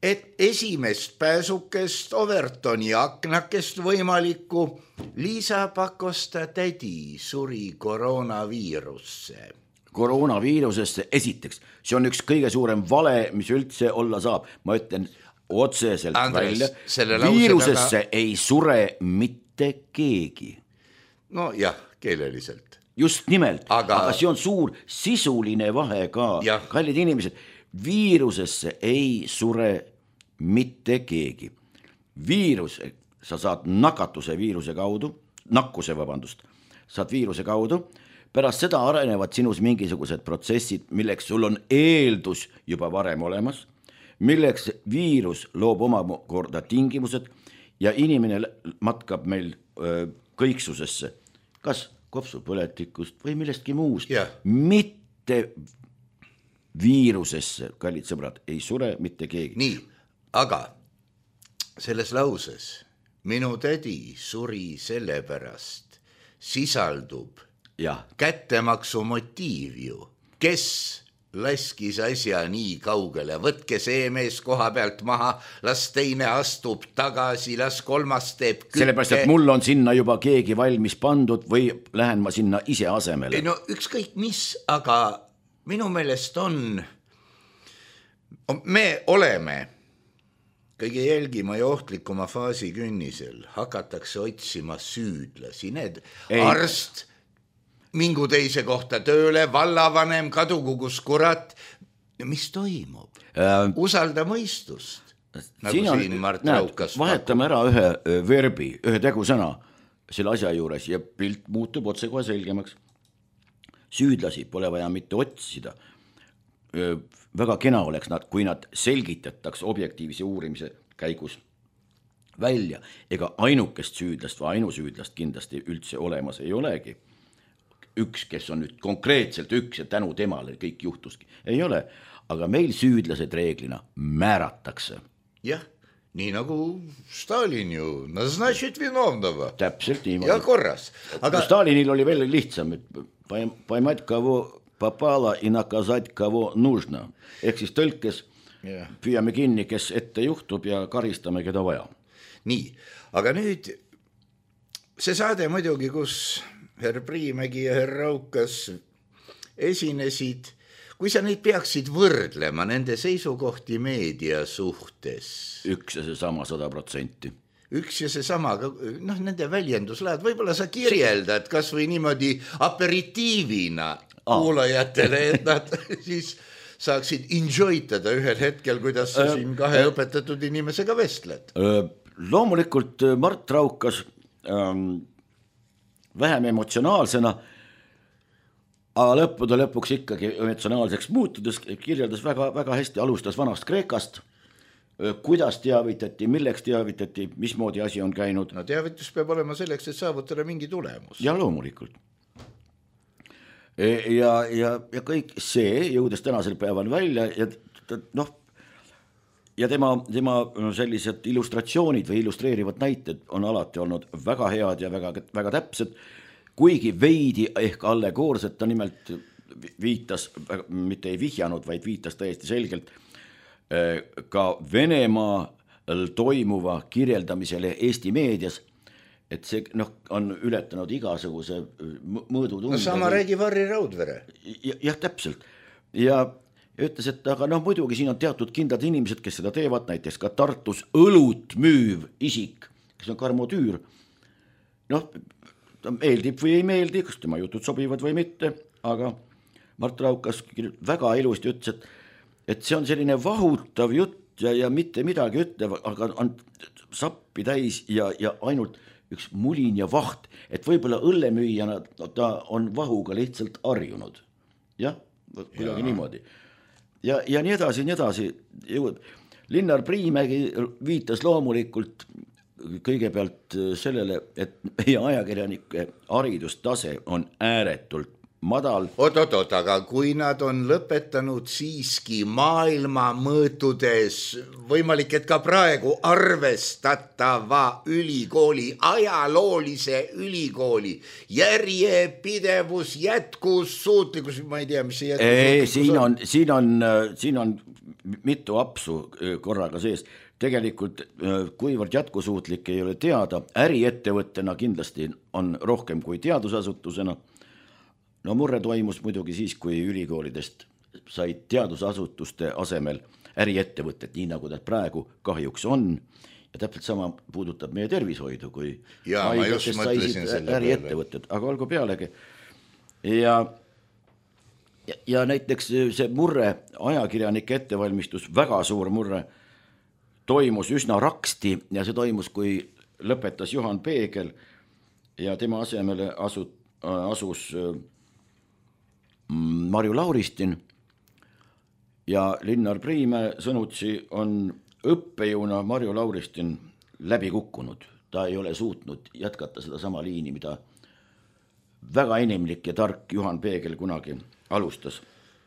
et esimest pääsukest Overtoni aknakest võimalikku Liisa Pakosta tädi suri koroonaviirusse. Koroonaviirusesse esiteks, see on üks kõige suurem vale, mis üldse olla saab. Ma ütlen otseselt Andres, välja, viirusesse taga... ei sure mitte keegi. No jah, keeleliselt. Just nimelt, aga, aga see on suur sisuline vahe ka. Ja. Kallid inimesed, viirusesse ei sure mitte keegi. Viirus, sa saad nakatuse viiruse kaudu, nakkuse, vabandust, saad viiruse kaudu, pärast seda arenevad sinus mingisugused protsessid, milleks sul on eeldus juba varem olemas, milleks viirus loob oma korda tingimused ja inimene matkab meil öö, kõiksusesse, kas kopsupõletikust või millestki muust, yeah. mitte viirusesse, kallid sõbrad, ei sure mitte keegi. Nii, aga selles lauses minu tädi suri sellepärast sisaldub ja. kättemaksu motiiv ju, kes laskis asja nii kaugele, võtke see mees koha pealt maha, las teine astub tagasi, las kolmas teeb kütte. Sellepärast, et mul on sinna juba keegi valmis pandud või lähen ma sinna ise asemele. No ükskõik mis, aga minu meelest on, me oleme kõige jälgima ja ohtlikuma faasi künnisel, hakatakse otsima süüdlasi, need Ei. arst, mingu teise kohta tööle, vallavanem, kadugu kus kurat, mis toimub? Äh, Usalda mõistust, nagu siin, on, siin Mart näed, Raukas vahetame ära ühe verbi, ühe tegusõna selle asja juures ja pilt muutub otse kohe selgemaks. Süüdlasi pole vaja mitte otsida. Väga kena oleks nad, kui nad selgitataks objektiivse uurimise käigus välja. Ega ainukest süüdlast või ainusüüdlast kindlasti üldse olemas ei olegi. Üks, kes on nüüd konkreetselt üks ja tänu temale kõik juhtuski. Ei ole, aga meil süüdlased reeglina määratakse. Jah, nii nagu Stalin ju, назначить виновного. Täpselt niimoodi. Ja korras. Aga Stalinil oli veel lihtsam, et paimat kavo попало и наказать кого нужно. Ehk siis tõlkes yeah. püüame kinni, kes ette juhtub ja karistame, keda vaja. Nii, aga nüüd see saade muidugi, kus herr Priimägi ja herr Raukas esinesid, kui sa neid peaksid võrdlema nende seisukohti meedia suhtes. Üks ja see sama sada protsenti. Üks ja see sama, noh, nende väljenduslaad, võib-olla sa kirjeldad kas või niimoodi aperitiivina ah. kuulajatele, et nad siis saaksid enjoytada ühel hetkel, kuidas sa siin kahe õpetatud inimesega vestled. Loomulikult Mart Raukas ähm, vähem emotsionaalsena, aga lõppude lõpuks ikkagi emotsionaalseks muutudes kirjeldas väga, väga hästi, alustas vanast Kreekast, kuidas teavitati, milleks teavitati, mismoodi asi on käinud. No teavitus peab olema selleks, et saavutada mingi tulemus. Ja loomulikult. Ja, ja, ja kõik see jõudes tänasel päeval välja ja, noh, ja tema, tema sellised illustratsioonid või illustreerivad näited on alati olnud väga head ja väga, väga täpsed, kuigi veidi ehk allegoorsed, ta nimelt viitas, mitte ei vihjanud, vaid viitas täiesti selgelt ka Venemaal toimuva kirjeldamisele Eesti meedias, et see noh, on ületanud igasuguse mõõdutunde. No sama räägi Varri Raudvere. Ja, jah, täpselt. Ja ütles, et aga noh, muidugi siin on teatud kindlad inimesed, kes seda teevad, näiteks ka Tartus õlut müüv isik, kes on Karmotüür. Noh, ta meeldib või ei meeldi, kas tema jutud sobivad või mitte, aga Mart Raukas väga ilusti ütles, et et see on selline vahutav jutt ja, ja mitte midagi ütlev, aga on sappi täis ja, ja ainult üks mulin ja vaht, et võib-olla õllemüüjana ta on vahuga lihtsalt harjunud. Jah, kuidagi ja. niimoodi. Ja, ja nii edasi, nii edasi. Linnar Priimägi viitas loomulikult kõigepealt sellele, et meie ajakirjanike haridustase on ääretult madal. Oot, oot, oot, aga kui nad on lõpetanud siiski maailma mõõtudes, võimalik, et ka praegu arvestatava ülikooli, ajaloolise ülikooli, järjepidevus, jätkus, suutlikkus, ma ei tea, mis see jätkus. Ei, siin on, siin on, siin on mitu apsu korraga sees. Tegelikult, kuivõrd jätkusuutlik ei ole teada, äriettevõttena kindlasti on rohkem kui teadusasutusena. No murre toimus muidugi siis, kui ülikoolidest said teadusasutuste asemel äriettevõtted, nii nagu nad praegu kahjuks on. Ja täpselt sama puudutab meie tervishoidu, kui ja, haigetest saisid äriettevõtted, aga olgu pealegi. Ja, ja, ja näiteks see murre, ajakirjanike ettevalmistus, väga suur murre, toimus üsna raksti ja see toimus, kui lõpetas Juhan Peegel ja tema asemele asu, asus Marju Lauristin ja Linnar Priimäe sõnutsi on õppejõuna Marju Lauristin läbi kukkunud, ta ei ole suutnud jätkata seda sama liini, mida väga inimlik ja tark Juhan Peegel kunagi alustas.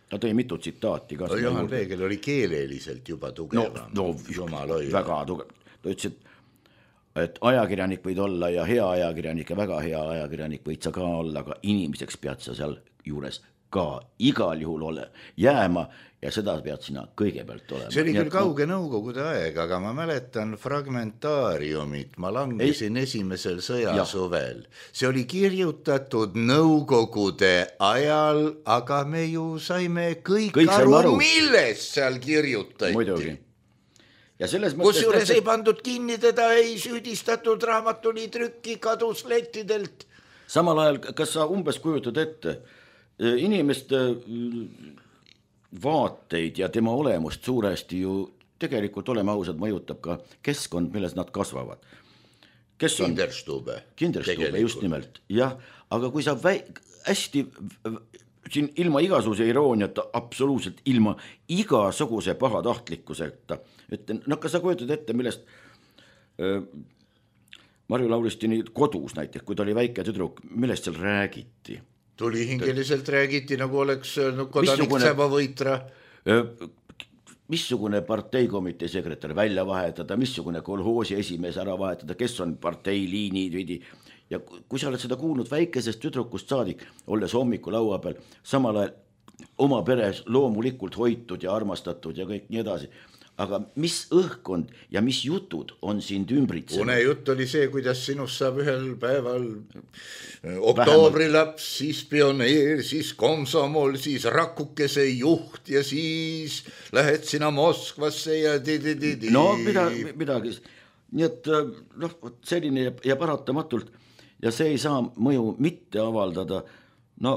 Ta tõi mitu tsitaati. No, Juhan Peegel oli keeleliselt juba tugevam. No, no väga tugev. Ta ütles, et, et ajakirjanik võid olla ja hea ajakirjanik ja väga hea ajakirjanik võid sa ka olla, aga inimeseks pead sa seal juures ka igal juhul ole jääma ja seda pead sina kõigepealt olema. See oli küll kauge nõukogude aeg, aga ma mäletan fragmentaariumit, ma langesin ei. esimesel sõjasuvel. See oli kirjutatud nõukogude ajal, aga me ju saime kõik, kõik aru, aru, millest seal kirjutati. Muidugi. Ja selles kus juures ei pandud kinni teda, ei süüdistatud, raamatuni trükki kadus lettidelt. Samal ajal, kas sa umbes kujutad ette, inimeste vaateid ja tema olemust suuresti ju tegelikult oleme ausad mõjutab ka keskkond, milles nad kasvavad. Kes on? Kinderstube. Kinderstube, just nimelt. Jah, aga kui sa väi... hästi siin ilma igasuguse irooniata, absoluutselt ilma igasuguse pahatahtlikkuseta, et no kas sa kujutad ette, millest äh, Marju Lauristini kodus näiteks, kui ta oli väike tüdruk, millest seal räägiti? Tuli hingeliselt räägiti, nagu oleks no, kodanik Säba Võitra. Missugune parteikomitee sekretär välja vahetada, missugune kolhoosi esimees ära vahetada, kes on partei liini vidi. Ja kui sa oled seda kuulnud väikesest tüdrukust saadik, olles hommiku laua peal, samal ajal oma peres loomulikult hoitud ja armastatud ja kõik nii edasi. Aga mis õhkond ja mis jutud on sind ümbritsenud? Une jutt oli see, kuidas sinust saab ühel päeval oktoobrilaps, siis pioneer, siis komsomol, siis rakukese juht ja siis lähed sina Moskvasse ja di-di-di-di. No midagi, midagi. Nii et noh, selline ja paratamatult ja see ei saa mõju mitte avaldada. No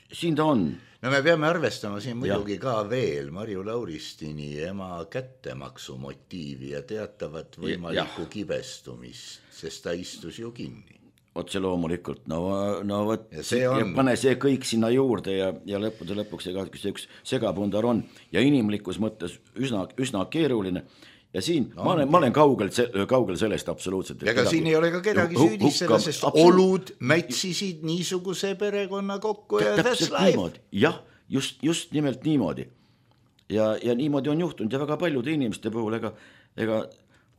siin ta on. No me peame arvestama siin muidugi ja. Ka veel Marju Lauristini ema kättemaksu motiivi ja teatavat võimalikku ja. Kibestumist, sest ta istus ju kinni. Otse loomulikult, no, no võt, ja, on... ja pane see kõik sinna juurde ja, ja lõppude lõpuks see, see üks segapundar on ja inimlikus mõttes üsna, üsna keeruline. Ja siin no, ma, olen, ma olen kaugel, kaugel sellest absoluutselt. Ega siin ei ole ka kedagi süüdistada, sest olud mätsisid niisuguse perekonna kokku ja that's life. Jah, just, just nimelt niimoodi. Ja, ja niimoodi on juhtunud ja väga paljude inimeste puhul, ega, ega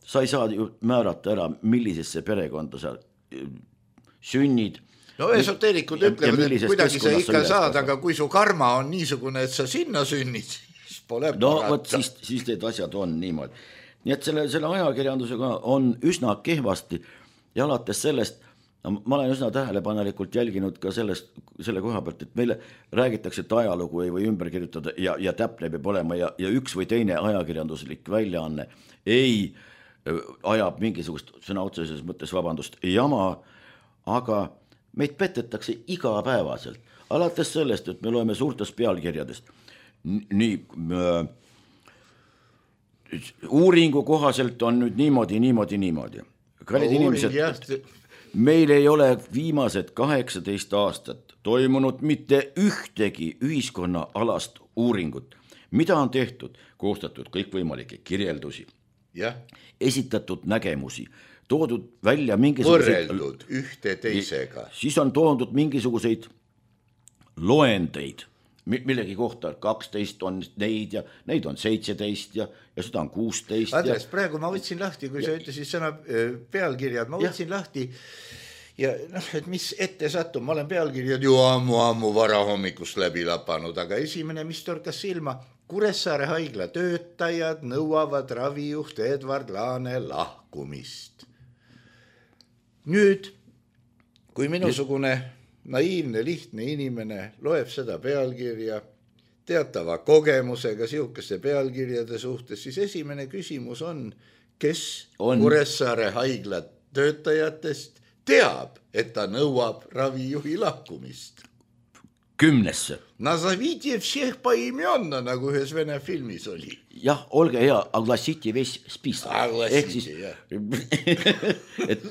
sa ei saa ju määrata ära, millisesse perekonda sa sünnid. No esoteerikud ütlevad, et kuidagi sa ikka saad, aga kui su karma on niisugune, et sa sinna sünnid, siis pole no, võt, siis, siis need asjad on niimoodi. Nii et selle, selle ajakirjandusega on üsna kehvasti ja alates sellest, no, ma olen üsna tähelepanelikult jälginud ka sellest, selle koha pealt, et meile räägitakse, et ajalugu ei või ümber kirjutada ja, ja täpne peab olema ja, ja üks või teine ajakirjanduslik väljaanne ei ajab mingisugust sõna otseses mõttes vabandust jama, aga meid petetakse igapäevaselt. Alates sellest, et me loeme suurtest pealkirjadest. Nii... Äh, uuringu kohaselt on nüüd niimoodi, niimoodi, niimoodi. Kallid inimesed, meil ei ole viimased kaheksateist aastat toimunud mitte ühtegi ühiskonna alast uuringut. Mida on tehtud? Koostatud kõikvõimalikke kirjeldusi, ja. Esitatud nägemusi, toodud välja mingisuguseid... Võrreldud ühte teisega. Siis on toodud mingisuguseid loendeid. Millegi kohta kaksteist on neid ja neid on seitseteist ja, ja seda on kuusteist. Andres, ja... praegu ma võtsin lahti, kui ja. Sa ütlesid sõna pealkirjad, ma võtsin ja. Lahti ja noh, et mis ette sattum, ma olen pealkirjad ju ammu-ammu varahommikust läbi lapanud, aga esimene, mis torkas silma, Kuressaare haigla töötajad nõuavad ravijuht Edward Laane lahkumist. Nüüd, kui minusugune naiivne, lihtne inimene loeb seda pealkirja teatava kogemusega siukeste pealkirjade suhtes, siis esimene küsimus on, kes on. Kuressaare haigla töötajatest teab, et ta nõuab ravijuhi lahkumist. Kümnesse. Nazavite všeh poimенно, nagu ühes vene filmis oli. Jah, olge hea, aglasiti ves spis. Aglasiti, jah. et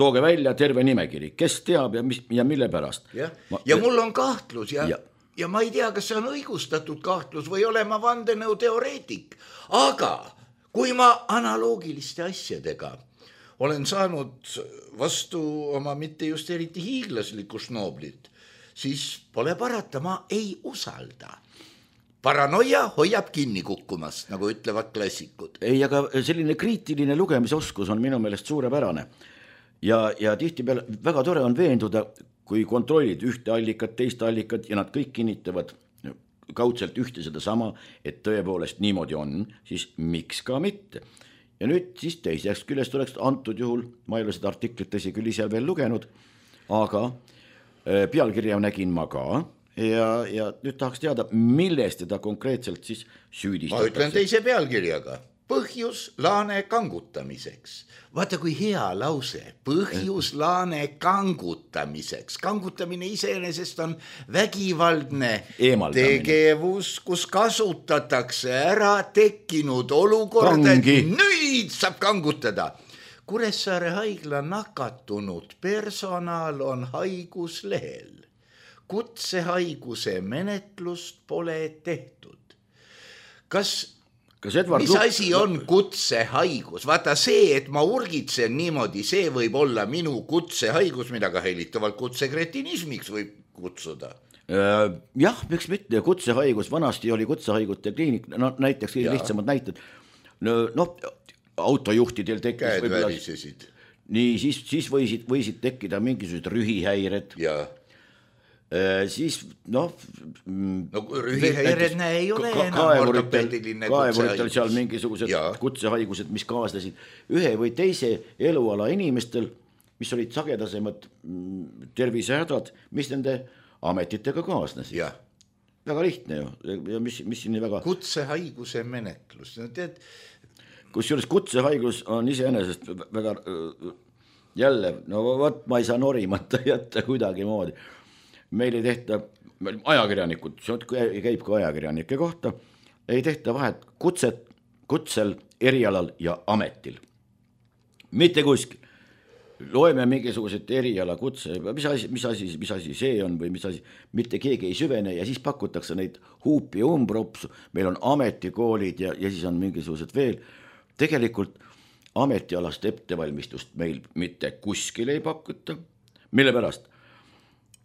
tooge välja terve nimekiri, kes teab ja, mis, ja mille pärast. Ja, ma, ja mul on kahtlus ja, ja. ja ma ei tea, kas see on õigustatud kahtlus või ole ma vandenõu teoreetik. Aga kui ma analoogiliste asjadega olen saanud vastu oma mitte just eriti hiiglaslikku šnooblit, siis pole parata, ma ei usalda. Paranoia hoiab kinni kukkumast, nagu ütlevad klassikud. Ei, aga selline kriitiline lugemisoskus on minu meelest suurepärane. Ja, ja tihti peale väga tore on veenduda, kui kontrollid ühte allikat, teist allikat ja nad kõik kinnitavad kaudselt ühte seda sama, et tõepoolest niimoodi on, siis miks ka mitte. Ja nüüd siis teiseks küljest oleks antud juhul, ma ei ole seda artiklit tõsi küll ise veel lugenud, aga pealkirja nägin ma ka ja, ja nüüd tahaks teada, millest teda konkreetselt siis süüdistatakse. Ma ütlen teise pealkirjaga. Põhjus laane kangutamiseks. Vaata kui hea lause. Põhjus laane kangutamiseks. Kangutamine iseenesest on vägivaldne tegevus, kus kasutatakse ära tekkinud olukorda, et nüüd saab kangutada. Kuressaare haigla nakatunud personal on haiguslehel. Kutsehaiguse menetlust pole tehtud. Kas mis asi on kutsehaigus? Vaata see, et ma urgitsen niimoodi, see võib olla minu kutsehaigus, mida ka helitavalt kutsekretinismiks võib kutsuda. Jah, miks mitte, kutsehaigus, vanasti oli kutsehaiguste kliinik, no näiteks ja. Lihtsamad näited, no, no autojuhtidel tekkis käed värisesid. Nii, siis, siis võisid, võisid tekkida mingisugused rühihäired. Jaa. Siis noh no rühihäired näe ei ole ka, enam ortopediline kaevuritel seal mingisugused ja. Kutsehaigused, mis kaaslesid ühe või teise eluala inimestel, mis olid sagedasemad tervisehädad, mis nende ametitega kaasnesid. Ja. Väga lihtne ju ja mis, mis siin väga kutsehaiguse menetlus no, tead... kusjuures kutsehaigus on iseenesest väga jälle, no võt, ma ei saa norimata jätta kuidagi moodi. Meil ei tehta, ajakirjanikud, see käib ka ajakirjanike kohta, ei tehta vahet kutset, kutsel, erialal ja ametil. Mitte kuskil. Loeme mingisugused eriala kutse, mis asi, mis asi, mis asi see on või mis asi, mitte keegi ei süvene ja siis pakutakse neid huupi ja umbropsu. Meil on ametikoolid ja, ja siis on mingisugused veel. Tegelikult ametialast ettevalmistust meil mitte kuskil ei pakuta. Mille pärast?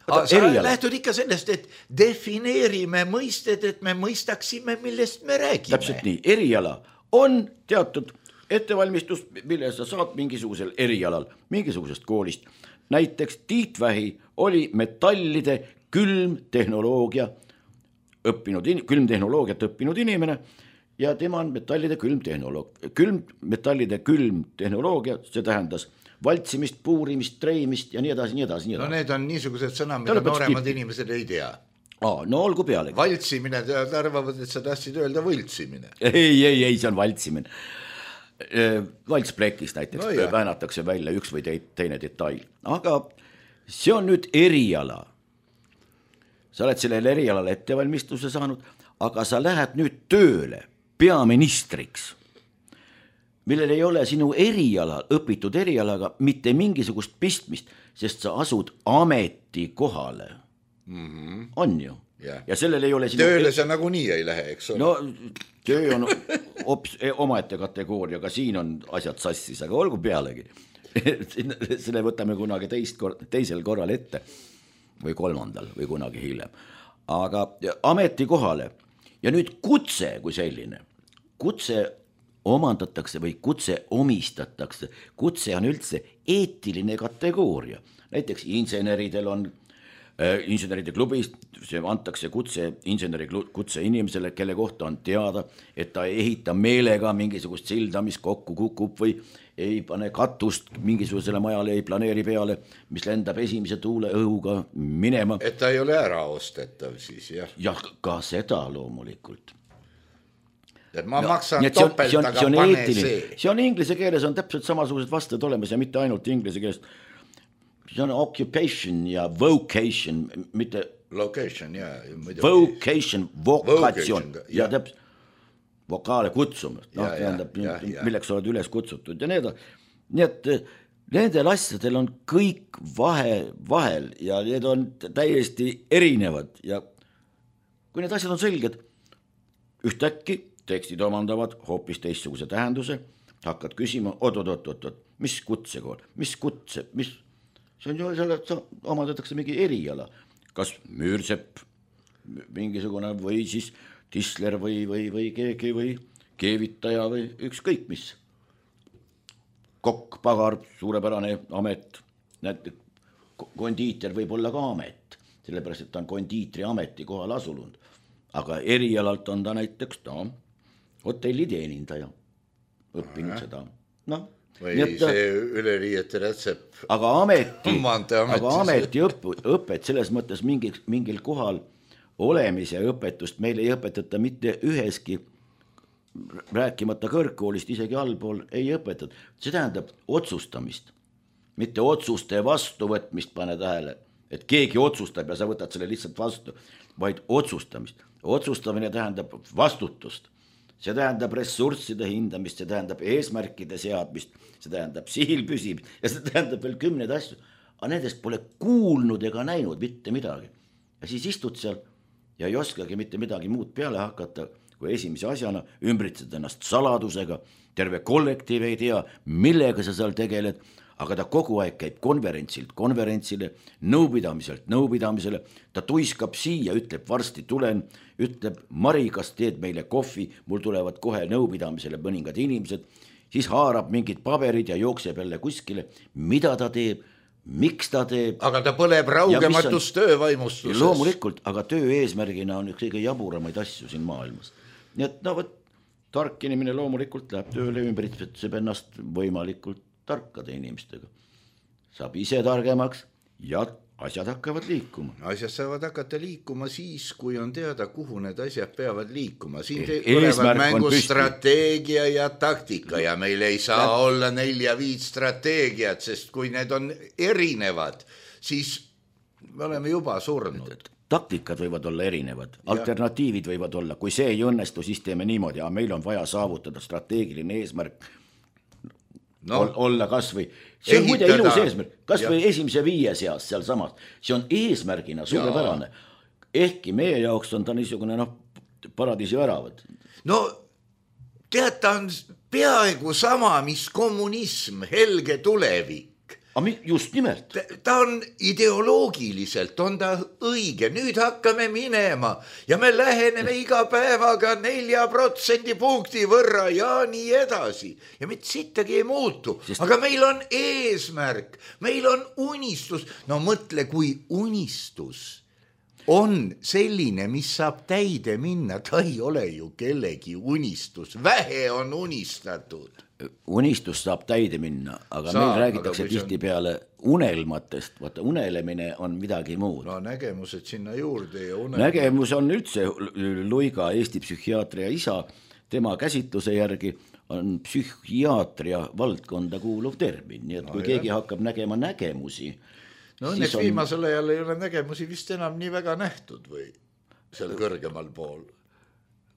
Aga sa eriala. Lähtud ikka sellest, et defineerime mõisted, et me mõistaksime, millest me räägime. Täpselt nii, eriala on teatud ettevalmistus, mille sa saad mingisugusel erialal, mingisugusest koolist. Näiteks Tiit Vähi oli metallide külmtehnoloogia õppinud, külmtehnoloogiat õppinud inimene ja tema on metallide külmtehnoloog. Külm, metallide külmtehnoloogia, see tähendas valtsimist, puurimist, treimist ja nii edasi, nii edasi, nii edasi. No need on niisugused sõna, mida nooremad tipi. Inimesed ei tea. Aa, no olgu pealegi. Valtsimine, tead arvavad, et sa tahtsid öelda võltsimine. Ei, ei, ei, see on valtsimine. Valtsprekist näiteks no, väänatakse välja üks või teine detail. Aga see on nüüd eriala. Sa oled sellele erialale ettevalmistuse saanud, aga sa lähed nüüd tööle peaministriks, millel ei ole sinu eriala, õpitud erialaga mitte mingisugust pistmist, sest sa asud ametikohale. Mm-hmm. On ju. Yeah. Ja sellel ei ole sinu... Tööle sa nagu nii ei lähe, eks ole? No, töö on ops, omaette kategooriaga, siin on asjad sassis, aga olgu pealegi. Selle võtame kunagi teist kor- teisel korral ette või kolmandal või kunagi hiljem. Aga ametikohale ja nüüd kutse kui selline, kutse omandatakse või kutse omistatakse. Kutse on üldse eetiline kategooria. Näiteks inseneridel on äh, inseneride klubis, see antakse kutse inseneri kutse inimesele, kelle kohta on teada, et ta ei ehita meelega mingisugust silda, mis kokku kukub või ei pane katust mingisugusele majale, ei planeeri peale, mis lendab esimese tuule õhuga minema. Et ta ei ole ära ostetav siis, jah? Jah, ka seda loomulikult. Et ma no, maksan topelt, see on, aga see on pane eetiline. see. See on inglise keeles on täpselt samasugused vastused olemas ja mitte ainult inglise keeles. See on occupation ja vocation, mitte location, ja. Vocation, vokatsioon ja täpselt vokaale kutsumist, no, ja, tähendab, ja, ja. Milleks oled üles kutsutud ja need. Nii et nendel asjadel on kõik vahe, vahel ja need on täiesti erinevad ja kui need asjad on selged, ühtäkki tekstid omandavad hoopis teistsuguse tähenduse, hakkad küsima, oot, oot, oot, oot, mis kutsekool, mis kutse, mis, see on ju selle, omandatakse mingi eriala, kas müürsepp, mingisugune või siis tisler või, või, või keegi või keevitaja või ükskõik mis. Kokk, pagar, suurepärane amet, näed, kondiiter võib olla ka amet, sellepärast, et ta on kondiitri ameti kohal asunud, aga erialalt on ta näiteks no, hotelliteenindaja õppinud seda, noh. Või ta, see üleriiete rätsepp. Aga ameti, aga ameti õpp, õpet selles mõttes mingi, mingil kohal olemise õpetust meil ei õpetata mitte üheski, rääkimata kõrgkoolist, isegi allpool ei õpetada. See tähendab otsustamist, mitte otsuste vastuvõtmist, pane tähele, et keegi otsustab ja sa võtad selle lihtsalt vastu, vaid otsustamist. Otsustamine tähendab vastutust. See tähendab ressursside hindamist, see tähendab eesmärkide seadmist, see tähendab sihil püsimist ja see tähendab veel kümneid asju. Aga nendest pole kuulnud ega näinud mitte midagi. Ja siis istud seal ja ei oskagi mitte midagi muud peale hakata, kui esimese asjana ümbritsed ennast saladusega, terve kollektiiv ei tea, millega sa seal tegeled, aga ta kogu aeg käib konverentsilt konverentsile, nõupidamiselt nõupidamisele, ta tuiskab siia, ütleb varsti tulen, ütleb Mari, kas teed meile kohvi, mul tulevad kohe nõupidamisele mõningad inimesed, siis haarab mingid paberid ja jookseb jälle kuskile, mida ta teeb, miks ta teeb. Aga ta põleb raugematus töövaimustuses. Loomulikult, aga töö eesmärgina on üks kõige jaburamaid asju siin maailmas. Nii et no võt, tark inimene loomulikult läheb tööle, ümbritseb ennast võimalikult tarkade inimestega. Saab ise targemaks ja asjad hakkavad liikuma. Asjad saavad hakata liikuma siis, kui on teada, kuhu need asjad peavad liikuma. Siin tulevad mängu strateegia ja taktika ja meil ei saa ja. olla nelja viid strateegiat, sest kui need on erinevad, siis me oleme juba surnud. Taktikad võivad olla erinevad, alternatiivid võivad olla. Kui see ei õnnestu, siis teeme niimoodi, ja meil on vaja saavutada strateegiline eesmärk, No, olla kas või, see on muide ilus eesmärk, kas ja. või esimese viie seas seal samas, see on eesmärgina suurepärane, ehkki meie jaoks on ta niisugune noh, paradiisi väravad. No tead, ta on peaaegu sama, mis kommunism, helge tulevik. Just nimelt. Ta, ta on ideoloogiliselt, on ta õige, nüüd hakkame minema ja me läheneme iga päevaga nelja protsendi punkti võrra ja nii edasi. Ja mitte sittagi ei muutu, Sest... aga meil on eesmärk, meil on unistus. No mõtle, kui unistus on selline, mis saab täide minna, ta ei ole ju kellegi unistus, vähe on unistatud. Unistus saab täide minna, aga saab, meil räägitakse tihti peale unelmatest, vaata unelemine on midagi muud. No nägemused sinna juurde ja unelmad. Nägemus on üldse Luiga, Eesti psühhiaatria isa, tema käsitluse järgi on psühhiaatria valdkonda kuuluv termin, nii et no, kui jah. keegi hakkab nägema nägemusi. No õnneks on... viimasel ajal ei ole nägemusi vist enam nii väga nähtud või seal kõrgemal pool.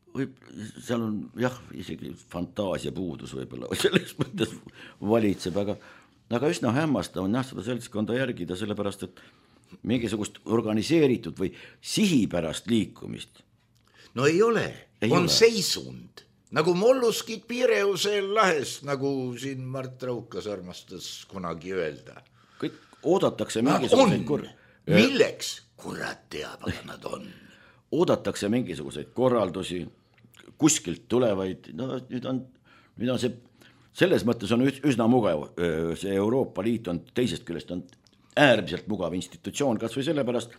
Võib, seal on jah, isegi fantaasia puudus võib-olla selles mõttes valitseb, aga, aga üsna hämmastav on jah seda seltskonda järgida, sellepärast, et mingisugust organiseeritud või sihipärast liikumist. No ei ole, ei on ole. Seisund, nagu molluskid Piireusel lahes, nagu siin Mart Raukas armastas kunagi öelda. Kõik oodatakse mingisuguseid kor- milleks? Kurat teab, aga nad on. Oodatakse mingisuguseid korraldusi, kuskilt tulevaid, no nüüd on, nüüd on see, selles mõttes on üsna mugav, see Euroopa Liit on teisest küljest on äärmiselt mugav institutsioon, kas või sellepärast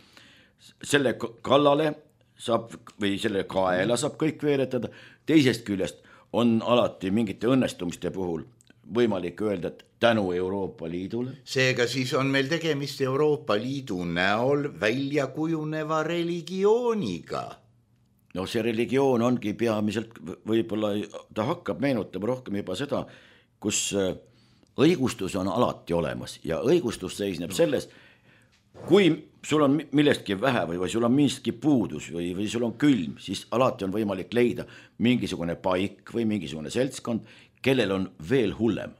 selle kallale saab või selle kaela saab kõik veeretada, teisest küljest on alati mingite õnnestumiste puhul võimalik öelda, et tänu Euroopa Liidule. Seega siis on meil tegemist Euroopa Liidu näol välja kujuneva religiooniga. No see religioon ongi peamiselt, võib-olla ta hakkab meenutama rohkem juba seda, kus õigustus on alati olemas ja õigustus seisneb selles, kui sul on millestki vähe või, või sul on miski puudus või, või sul on külm, siis alati on võimalik leida mingisugune paik või mingisugune seltskond, kellel on veel hullem.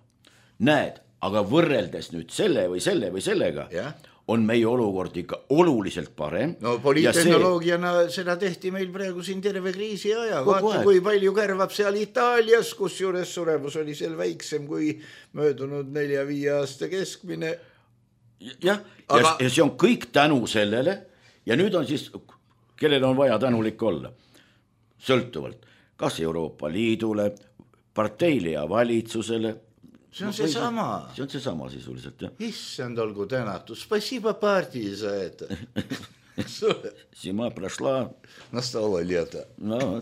Näed, aga võrreldes nüüd selle või selle või sellega, yeah. on meie olukord ikka oluliselt parem. No poliittehnoloogiana see... seda tehti meil praegu siin terve kriisi aja. Vaata, kui palju kärvab seal Itaalias, kus juures suremus oli seal väiksem kui möödunud nelja-viie aasta keskmine. Jah, Aga... ja see on kõik tänu sellele ja nüüd on siis, kellel on vaja tänulik olla, sõltuvalt, kas Euroopa Liidule, parteile ja valitsusele. See on see sama. See on see sama sisuliselt, jah. Issand olgu tänatud. Spasiba partii sa ette. Zima prošla. Nastalo leta. No.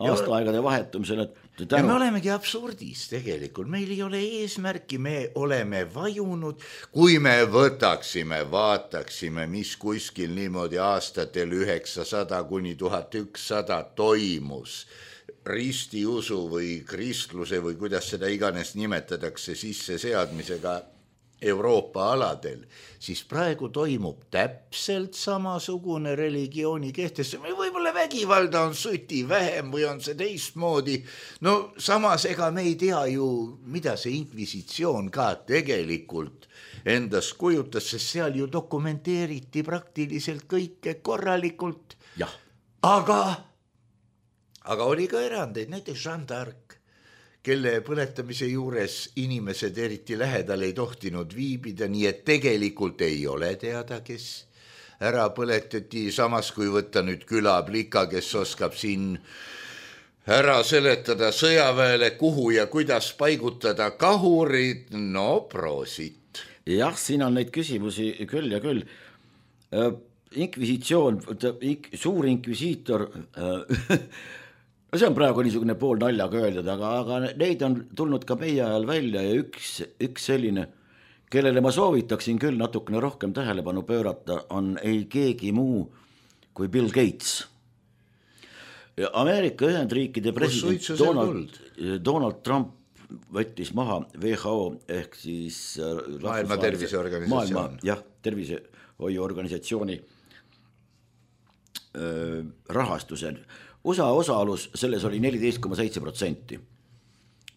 Aastaaegade vahetumisel. Ja me olemegi absurdis tegelikult. Meil ei ole eesmärki, me oleme vajunud. Kui me võtaksime, vaataksime, mis kuskil niimoodi aastatel üheksasada kuni tuhat ükssada toimus ristiusu või kristluse või kuidas seda iganes nimetatakse sisse seadmisega Euroopa aladel, siis praegu toimub täpselt samasugune religiooni kehtestamine. Võib-olla vägivalda on süti vähem või on see teistmoodi. No samas ega me ei tea ju, mida see inkvisitsioon ka tegelikult endast kujutas, sest seal ju dokumenteeriti praktiliselt kõike korralikult. Jah. Aga Aga oli ka erandeid, näiteks Jeanne d'Arc, kelle põletamise juures inimesed eriti lähedal ei tohtinud viibida, nii et tegelikult ei ole teada, kes ära põletati, samas kui võtta nüüd külaplika, kes oskab siin ära seletada sõjaväele, kuhu ja kuidas paigutada kahurid, no proosit. Jah, siin on neid küsimusi küll ja küll. Inkvisitsioon, suur inkvisiitor... No see on praegu niisugune pool naljaga öeldud, aga, aga neid on tulnud ka meie ajal välja ja üks, üks selline, kellele ma soovitaksin küll natukene rohkem tähelepanu pöörata, on ei keegi muu kui Bill Gates. Ameerika Ühendriikide president Donald, Donald Trump võttis maha W H O ehk siis Maailma Terviseorganisatsioon. Maailma, jah, tervisehoiuorganisatsiooni äh, rahastusel. U S A osaalus selles oli neliteist koma seitse protsenti,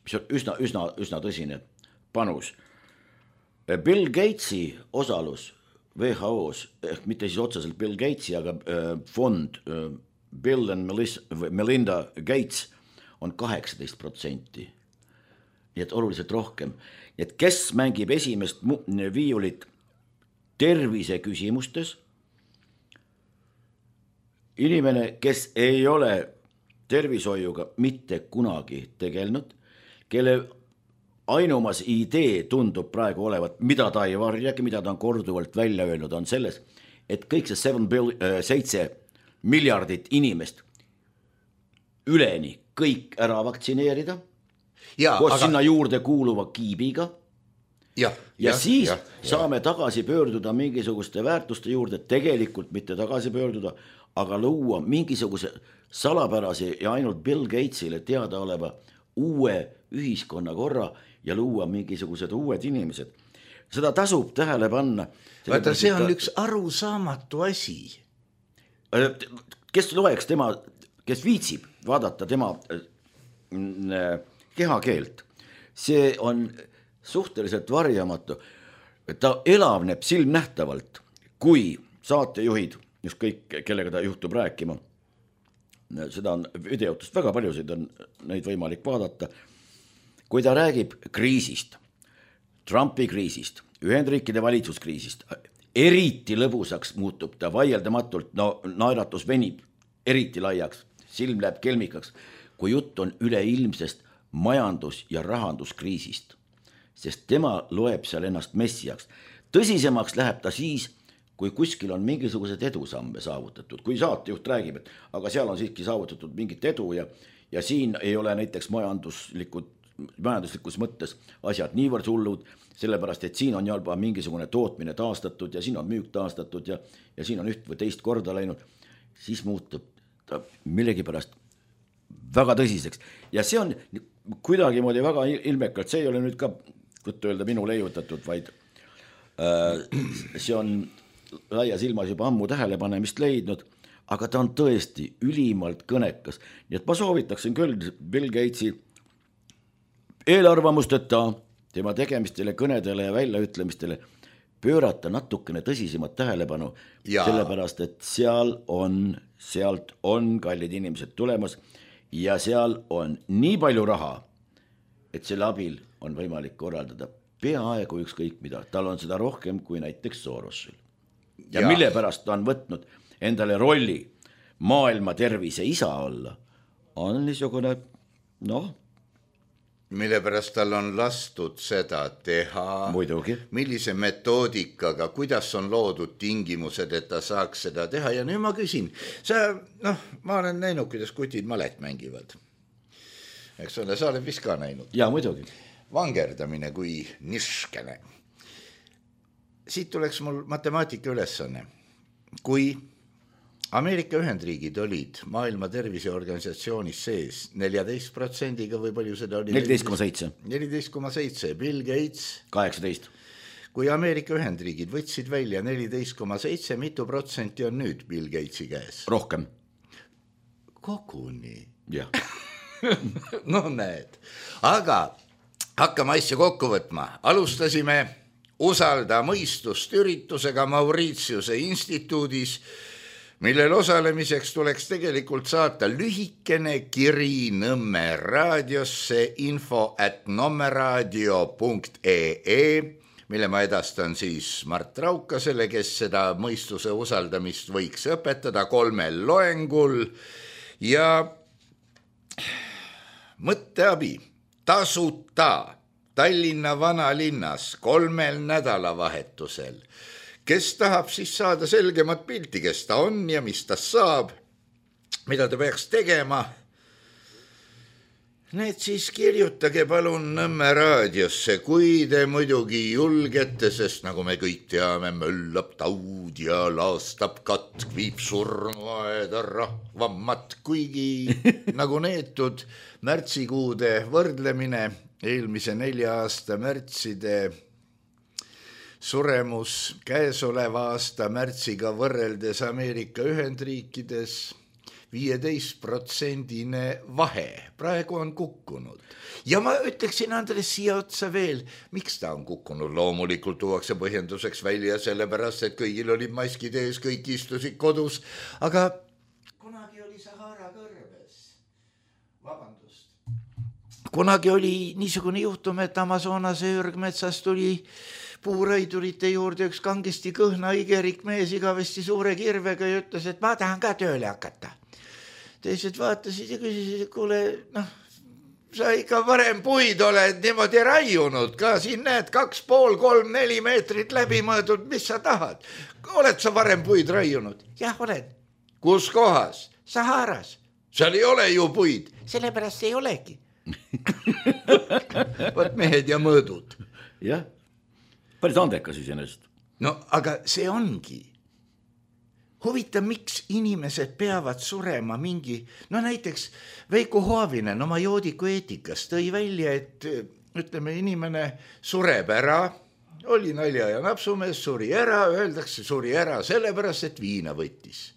mis on üsna, üsna, üsna tõsine panus. Bill Gatesi osaalus W H O-s, ehk mitte siis otseselt Bill Gatesi, aga fond Bill and Melinda Gates on kaheksateist protsenti. Nii et oluliselt rohkem. Et kes mängib esimest viiulit tervise küsimustes, inimene, kes ei ole tervishoiuga mitte kunagi tegelnud, kelle ainumas idee tundub praegu olevat, mida ta ei varjagi, mida ta on korduvalt välja öelnud, on selles, et kõik see seitse miljardit inimest üleni kõik ära vaktsineerida, ja, koos aga... sinna juurde kuuluva kiibiga, ja, ja ja, siis ja, saame ja. tagasi pöörduda mingisuguste väärtuste juurde, tegelikult mitte tagasi pöörduda, aga luua mingisuguse salapärase ja ainult Bill Gatesile teada oleva uue ühiskonna korra ja luua mingisugused uued inimesed. Seda tasub tähele panna. Vaata, see on ta... üks arusaamatu asi. Kes loeks tema, kes viitsib vaadata tema kehakeelt, see on suhteliselt varjamatu. Ta elavneb silmnähtavalt, kui saatejuhid, just kõik, kellega ta juhtub rääkima. Seda on videotust väga paljusid on neid võimalik vaadata. Kui ta räägib kriisist, Trumpi kriisist, Ühendriikide valitsuskriisist, eriti lõbusaks muutub ta vaieldamatult, no naeratus venib eriti laiaks, silm läheb kelmikaks, kui jutt on üleilmsest majandus- ja rahanduskriisist, sest tema loeb seal ennast messiaks. Tõsisemaks läheb ta siis, kui kuskil on mingisugused edusamme saavutatud, kui saatejuht räägib, et aga seal on siiski saavutatud mingit edu ja, ja siin ei ole näiteks majanduslikud, majanduslikus mõttes asjad niivõrd hullud, sellepärast, et siin on juba mingisugune tootmine taastatud ja siin on müük taastatud ja, ja siin on üht või teist korda läinud, siis muutub ta millegipärast väga tõsiseks. Ja see on kuidagi moodi väga ilmekalt, see ei ole nüüd ka, võtta öelda, minu leiutatud, vaid äh, see on laia silmas juba ammu tähelepanemist leidnud, aga ta on tõesti ülimalt kõnekas. Nii et ma soovitaksin küll Bill Gatesi eelarvamusteta tema tegemistele, kõnedele ja väljaütlemistele pöörata natukene tõsisemat tähelepanu, ja. sellepärast, et seal on, sealt on kallid inimesed tulemas ja seal on nii palju raha, et selle abil on võimalik korraldada peaaegu ükskõik mida. Tal on seda rohkem kui näiteks Sorosil. Ja, ja mille pärast ta on võtnud endale rolli maailma tervise isa olla, on niisugune, noh, mille pärast tal on lastud seda teha, muidugi. Millise metoodikaga, kuidas on loodud tingimused, et ta saaks seda teha. Ja nüüd ma küsin, sa, noh, ma olen näinud, kuidas kutid malet mängivad. Eks ole, sa oled vist ka näinud. Ja, muidugi. Vangerdamine kui niskene. Siit tuleks mul matemaatika ülesanne. Kui Ameerika Ühendriigid olid maailma terviseorganisatsioonis sees neliteist protsendiga või palju seda oli? neliteist koma seitse. neliteist koma seitse. Bill Gates? kaheksateist. Kui Ameerika Ühendriigid võtsid välja neliteist koma seitse, mitu protsenti on nüüd Bill Gatesi käes? Rohkem. Koguni. Jah. No näed. Aga hakkame asja kokku võtma. Alustasime Usalda mõistust üritusega Mauritiuse instituudis, millel osalemiseks tuleks tegelikult saata lühikene kiri Nõmme raadiosse info at nommeraadio punkt ee, mille ma edastan siis Mart Raukasele, kes seda mõistuse usaldamist võiks õpetada kolmel loengul ja mõtteabi tasuta Tallinna vanalinnas kolmel nädalavahetusel. Kes tahab siis saada selgemat pilti, kes ta on ja mis ta saab, mida ta peaks tegema, need siis kirjutage palun Nõmme raadiosse, kui te muidugi julgete, sest nagu me kõik teame, möllab taud ja laastab katk, viib surnuaeda rahvammat, kuigi nagu neetud märtsikuude võrdlemine, eelmise nelja aasta märtside suremus käesoleva aasta märtsiga võrreldes Ameerika Ühendriikides viieteist protsendine vahe. Praegu on kukkunud. Ja ma ütleksin Andres siia otsa veel, miks ta on kukkunud. Loomulikult tuuakse põhjenduseks välja sellepärast, et kõigil olid maskid ees, kõik istusid kodus, aga kunagi oli Sahara kõrbes. Vabandust. Kunagi oli niisugune juhtum, et Amazonase ürgmetsas tuli puurõidurite juurde üks kangesti kõhna igerik mees igavesti suure kirvega ja ütles, et ma tahan ka tööle hakata. Teised vaatasid ja küsisid, et kuule, noh, sa ikka varem puid oled niimoodi raiunud ka, siin näed kaks pool, kolm, neli meetrit läbi mõõdud, mis sa tahad? Oled sa varem puid raiunud? Jah, olen. Kus kohas? Saharas. Seal ei ole ju puid. Sellepärast ei olegi. Võt mehed ja mõõdud. Jah, päris andekas iseenesest. No aga see ongi. Huvitav, miks inimesed peavad surema mingi, no näiteks Veiko Hoavinen oma joodiku eetikas tõi välja, et ütleme, inimene sureb ära, oli nalja ja napsumees, suri ära, öeldakse suri ära sellepärast, et viina võttis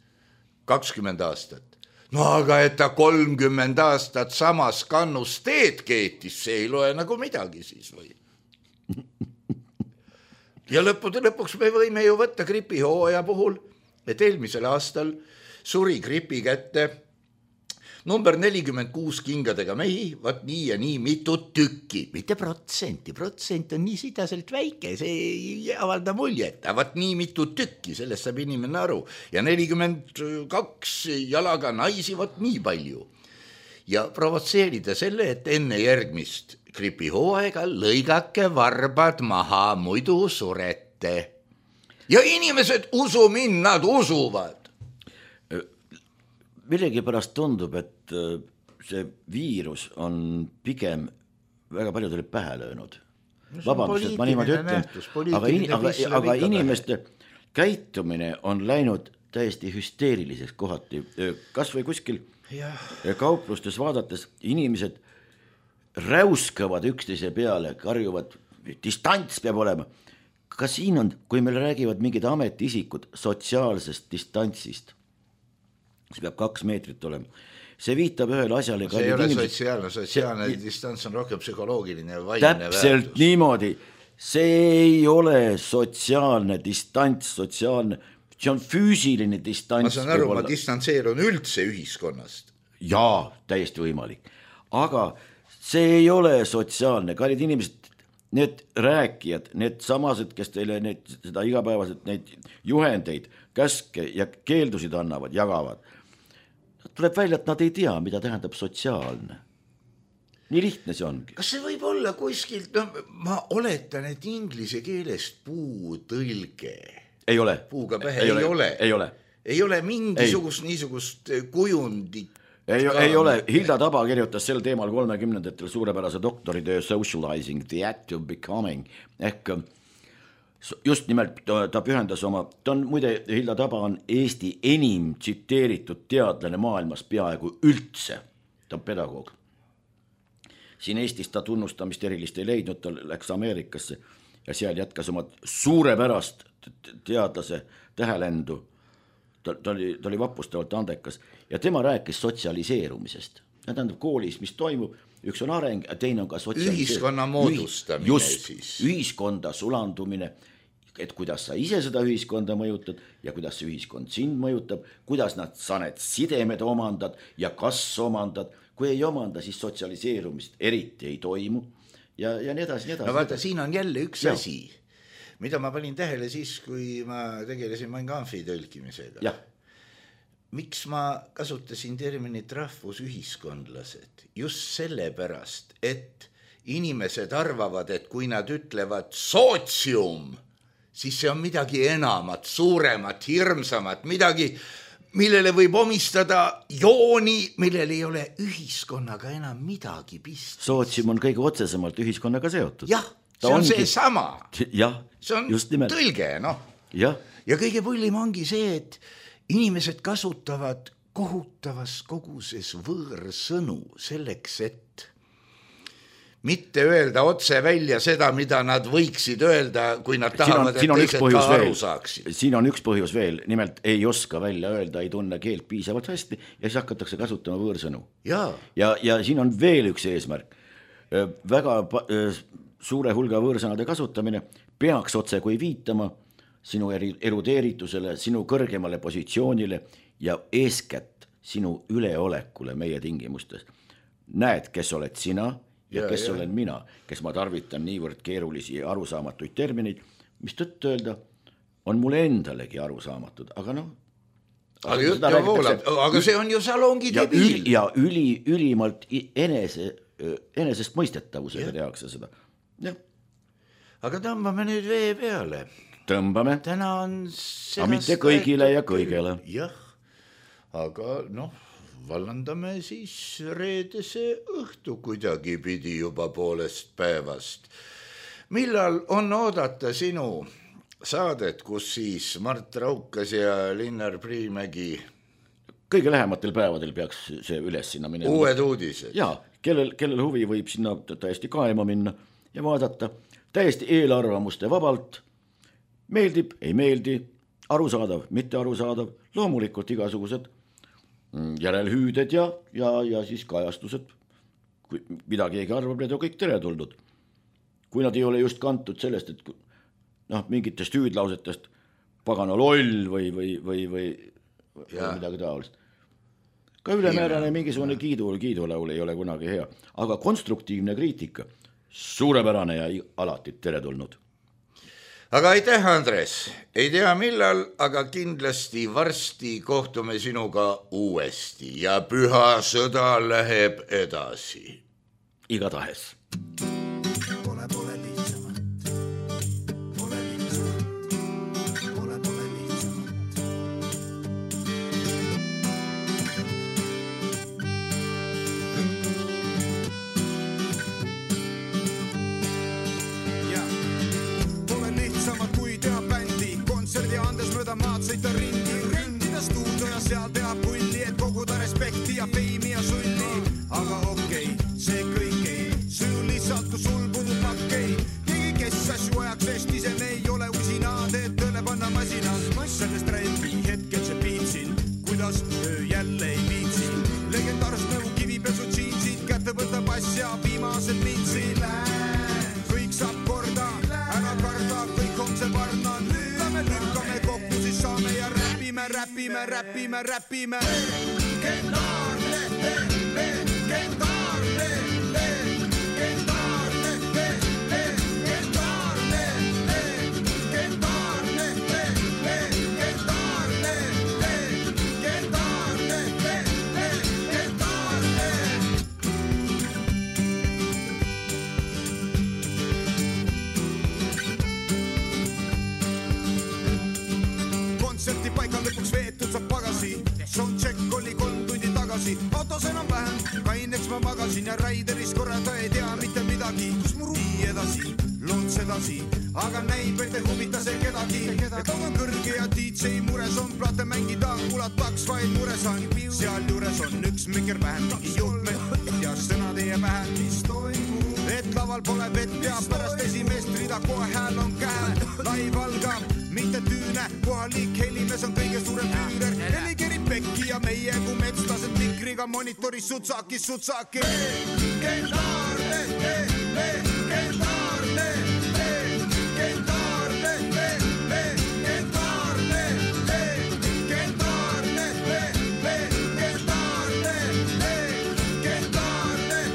kakskümmend aastat. No aga et ta kolmkümmend aastat samas kannus teed keetis, see ei loe nagu midagi siis või? Ja lõppude lõpuks me võime ju võtta gripihooaja puhul, et eelmisel aastal suri gripi kätte number nelikümmend kuus kingadega mehi, vaat nii ja nii mitu tükki, mitte protsenti, protsent on nii sidaselt väike, see ei avalda muljet, vaat nii mitu tükki, sellest saab inimene aru, ja nelikümmend kaks jalaga naisi, vaat nii palju. Ja provotseerida selle, et enne järgmist gripihooaega lõigake varbad maha, muidu surete. Ja inimesed usu mind, nad usuvad. Millegi pärast tundub, et see viirus on pigem väga paljudele pähe löönud. Vabandust, et ma niimoodi ütlen, aga, in, aga, aga inimeste käitumine on läinud täiesti hüsteeriliseks kohati. Kas või kuskil ja. Kauplustes vaadates inimesed räuskavad üksteise peale, karjuvad, distants peab olema. Kas siin on, kui meil räägivad mingid ametiisikud sotsiaalsest distantsist, see peab kaks meetrit olema. see viitab ühele asjale. See ei ole inimesed... sotsiaalne, sotsiaalne see... distants on rohkem psühholoogiline ja vaimne väärtus. Täpselt niimoodi, see ei ole sotsiaalne distants, sotsiaalne, see on füüsiline distants. Ma saan aru, ma distantseerun üldse ühiskonnast. Jaa, täiesti võimalik, aga see ei ole sotsiaalne, kallid inimesed, need rääkijad, need samased, kes teile need, seda igapäevaselt neid juhendeid, käske ja keeldusid annavad, jagavad. Tuleb välja, et nad ei tea, mida tähendab sotsiaalne. Nii lihtne see ongi. Kas see võib olla kuskilt, no ma oletan, et inglise keelest puutõlge. Ei ole. Puuga pähe ei, ei ole. Ei ole. Ei ole mingisugust ei. Niisugust kujundit. Ei, ei ole, Hilda Taba kirjutas sel teemal kolmekümnendatel suurepärase doktoritöö Socializing the Act of Becoming ehk just nimelt ta pühendas oma, ta on muide, Hilda Taba on Eesti enim tsiteeritud teadlane maailmas peaaegu üldse, ta on pedagoog. Siin Eestis ta tunnustamist erilist ei leidnud, ta läks Ameerikasse ja seal jätkas oma suurepärast teadlase tähelendu. Ta, ta, oli, ta oli vapustavalt andekas ja tema rääkis sotsialiseerumisest. Ja tähendab koolis, mis toimub, üks on areng ja teine on ka sotsialiseerumisest. Ühiskonna moodustamine just, siis. Ühiskonda sulandumine, et kuidas sa ise seda ühiskonda mõjutad ja kuidas see ühiskond sind mõjutab, kuidas nad sa need sidemed omandad ja kas omandad. Kui ei omanda, siis sotsialiseerumist eriti ei toimu ja, ja nii edasi, nii edasi. No vaata, siin on jälle üks ja. Asi. Mida ma panin tähele siis, kui ma tegelesin Mein Kampfi tõlkimisega. Ja. Miks ma kasutasin terminit rahvusühiskondlased? Just sellepärast, et inimesed arvavad, et kui nad ütlevad sootsium, siis see on midagi enamat, suuremat, hirmsamat, midagi, millele võib omistada jooni, millel ei ole ühiskonnaga enam midagi pist. Sootsium on kõige otsesemalt ühiskonnaga seotud. Jah. See on ongi... see sama. Ja, see on just nimelt. Tõlge, noh. Ja. ja kõige põllim ongi see, et inimesed kasutavad kohutavas koguses võõrsõnu selleks, et mitte öelda otse välja seda, mida nad võiksid öelda, kui nad tahavad, siin on, et teised ka aru veel. saaksid. Siin on üks põhjus veel, nimelt ei oska välja öelda, ei tunne keelt piisavalt hästi ja siis hakatakse kasutama võõrsõnu. Ja, ja, ja siin on veel üks eesmärk. Väga suure hulga võõrsõnade kasutamine peaks otse kui viitama sinu erudeeritusele, sinu kõrgemale positsioonile ja eeskätt sinu üleolekule meie tingimustes. Näed, kes oled sina ja, ja kes ja. olen mina, kes ma tarvitan niivõrd keerulisi arusaamatuid termineid, mis tõtt öelda on mulle endalegi arusaamatud, aga noh. Aga, jutt ja voolab, aga see on ju salongi debiil. Ja üli, ülimalt enese, enesest mõistetavusega ja. Tehakse seda. Ja. Aga tõmbame nüüd vee peale. Tõmbame. Täna on aga mitte kõigile ja kõigele. Jah, aga noh, vallandame siis reedese õhtu kuidagi pidi juba poolest päevast. Millal on oodata sinu saadet, kus siis Mart Raukas ja Linnar Priimägi? Kõige lähematel päevadel peaks see üles sinna minema. Uued uudised. Jaa, kellel, kellel huvi võib sinna täiesti kaema minna ja vaadata täiesti eelarvamuste vabalt. Meeldib, ei meeldi, arusaadav, mitte arusaadav, loomulikult igasugused järelhüüded ja, ja, ja siis kajastused. Kui midagi ei arvab, need on kõik teretulnud. Kui nad ei ole just kantud sellest, et noh, mingitest hüüdlausetest pagana loll või, või, või, või, või midagi taolist. Ka ülemäärane mingisugune kiidu, kiidulaul ei ole kunagi hea, aga konstruktiivne kriitika, suurepärane ja alati teretulnud. Aga aitäh, Andres. Ei tea millal, aga kindlasti varsti kohtume sinuga uuesti ja püha sõda läheb edasi. Igatahes. Pole, pole lihtsamat. Pole lihtsamat. Pole, pole lihtsamat. Ja, pole lihtsamat kui teha bändi. Kontserdi andes mööda maad sõita ringi. Rindida stuudio ja seal teha pulli, et koguda respekti ja feimi ja sulli. Aga okei, okay, see kõik ei süü lihtsalt varnan. Lähme lükkame kokku, siis saame ja räpime, räpime, räpime, räpime. Legendaarne, legendaarne, legendaarne, legendaarne, legendaarne, legendaarne, legendaarne, legendaarne. Kontserti paiga lõpuks veetud saab pagasi. Soundcheck oli kolm tundi tagasi. Autos enam vähem, kaineks ma magasin ja Raideris korrata ei tea mitte midagi. Kus mu ruumi edasi, loons edasi, aga näib, et ei huvita see kedagi. Et on kõrge ja D J mures on, plaate mängida, kuulataks vaid mures on. Seal juures on üks mikker vähem, mingi juhtme ja sõna teie pähe. Mis toimub? Et laval pole vett ja pärast esimest rida kohe hääl on käe. Laiv algab, mitte tüüne, kohalik helimes on kõige suurem tüüner. Heli kerib pekki ja meie kui metslased mikriga monitoris sutsaki, sutsaki. Legendaarne, legendaarne, legendaarne, legendaarne, legendaarne, legendaarne, legendaarne, legendaarne.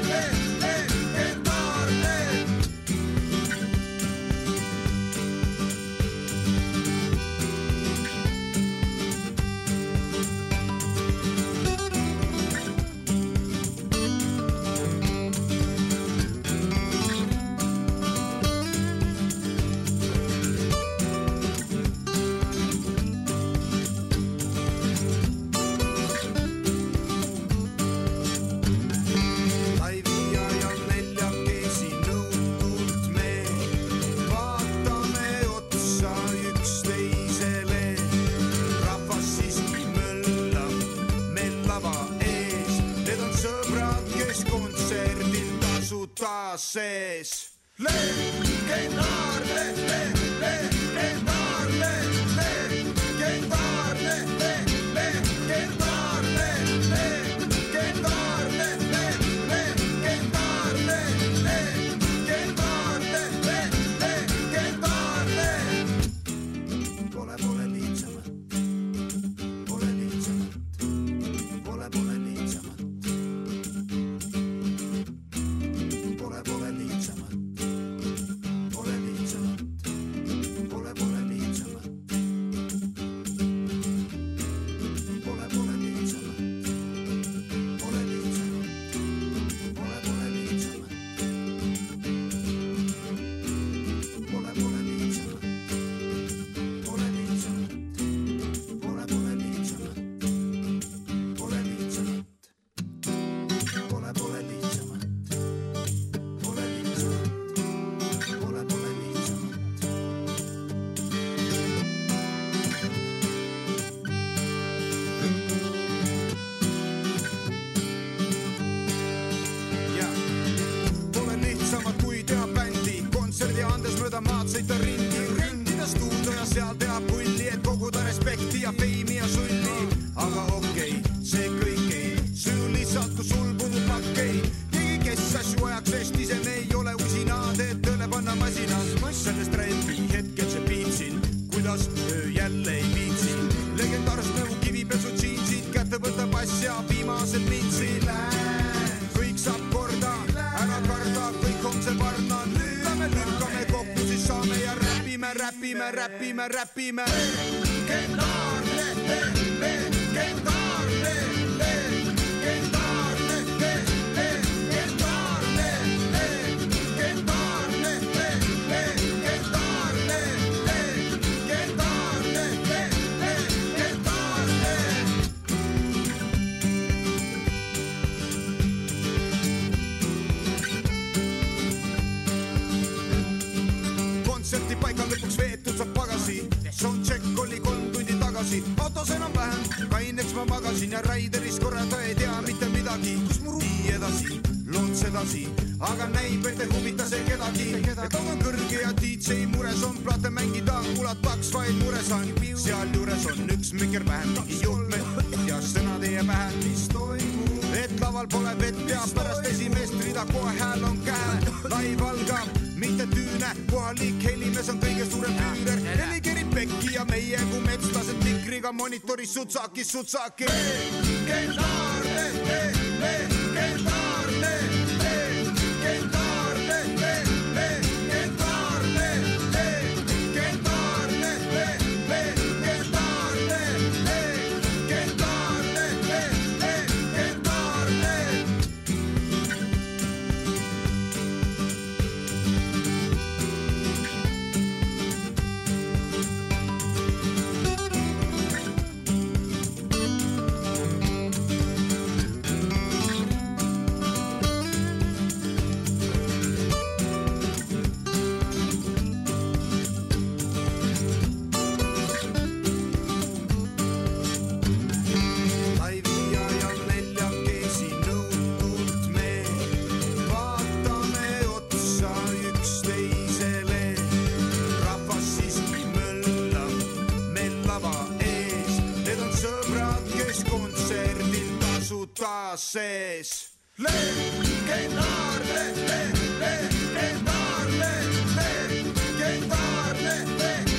Sees legendaarne, legendaarne, legendaarne, legendaarne, legendaarne, legendaarne, legendaarne, legendaarne. Pole, pole lihtsamat, pole lihtsamat, pole, pole lihtsamat. Pole, pole lihtsamat, pole lihtsamat, pole, pole lihtsamat, pole, pole lihtsamat, pole lihtsamat, pole, pole lihtsamat, pole, pole lihtsamat, pole lihtsamat, pole, pole lihtsamat, pole lihtsamat, pole, pole lihtsamat. Maad sõita ringi, rindida stuudio ja seal teha pulli, et koguda respekti ja feimi ja sulli. Aga okei, see kõik ei süü lihtsalt, kui sul puudub lakkei. Keegi, kes asju ajaks vesti, see me ei ole usinaad, et tõle panna masinas. Sellest räpi hetkel see piitsin, kuidas öö jälle ei viitsin. Legendaarset nagu kivipesu džiinsid, kätte võtab asja viimasel mintsil. Kõik saab korda, ära karda, kõik homsel varnan. Lähme lükkame kokku, siis saame ja räpime, räpime, räpime, räpime. Legendaarne, legendaarne, legendaarne, legendaarne, legendaarne, legendaarne, legendaarne, legendaarne. Kontserti paiga lõpuks veetud saab pagasi. Soundcheck oli kolm tundi tagasi. Autos enam vähem, kaineks ma magasin ja Raideris korrata ei tea mitte midagi. Kus mu ruumi edasi, loons edasi, aga näib, et ei huvita see kedagi. Et on kõrge ja D J mures on, plaate mängida, kuulataks vaid mures on. Seal juures on üks mikker vähem, mingi juhtme ja sõna teie pähe. Mis toimub? Et laval pole vett ja pärast esimest rida kohe hääl on käe. Laiv algab, mitte tüüne, kohalik helimees on kõige suurem tüürer. Heli kerib pekki ja meie kui metslased mikriga monitoris sutsaki, sutsaki. Legendaarne, legendaarne, legendaarne, legendaarne, legendaarne, legendaarne, legendaarne, legendaarne. Sees legendaarne, legendaarne, legendaarne, legendaarne.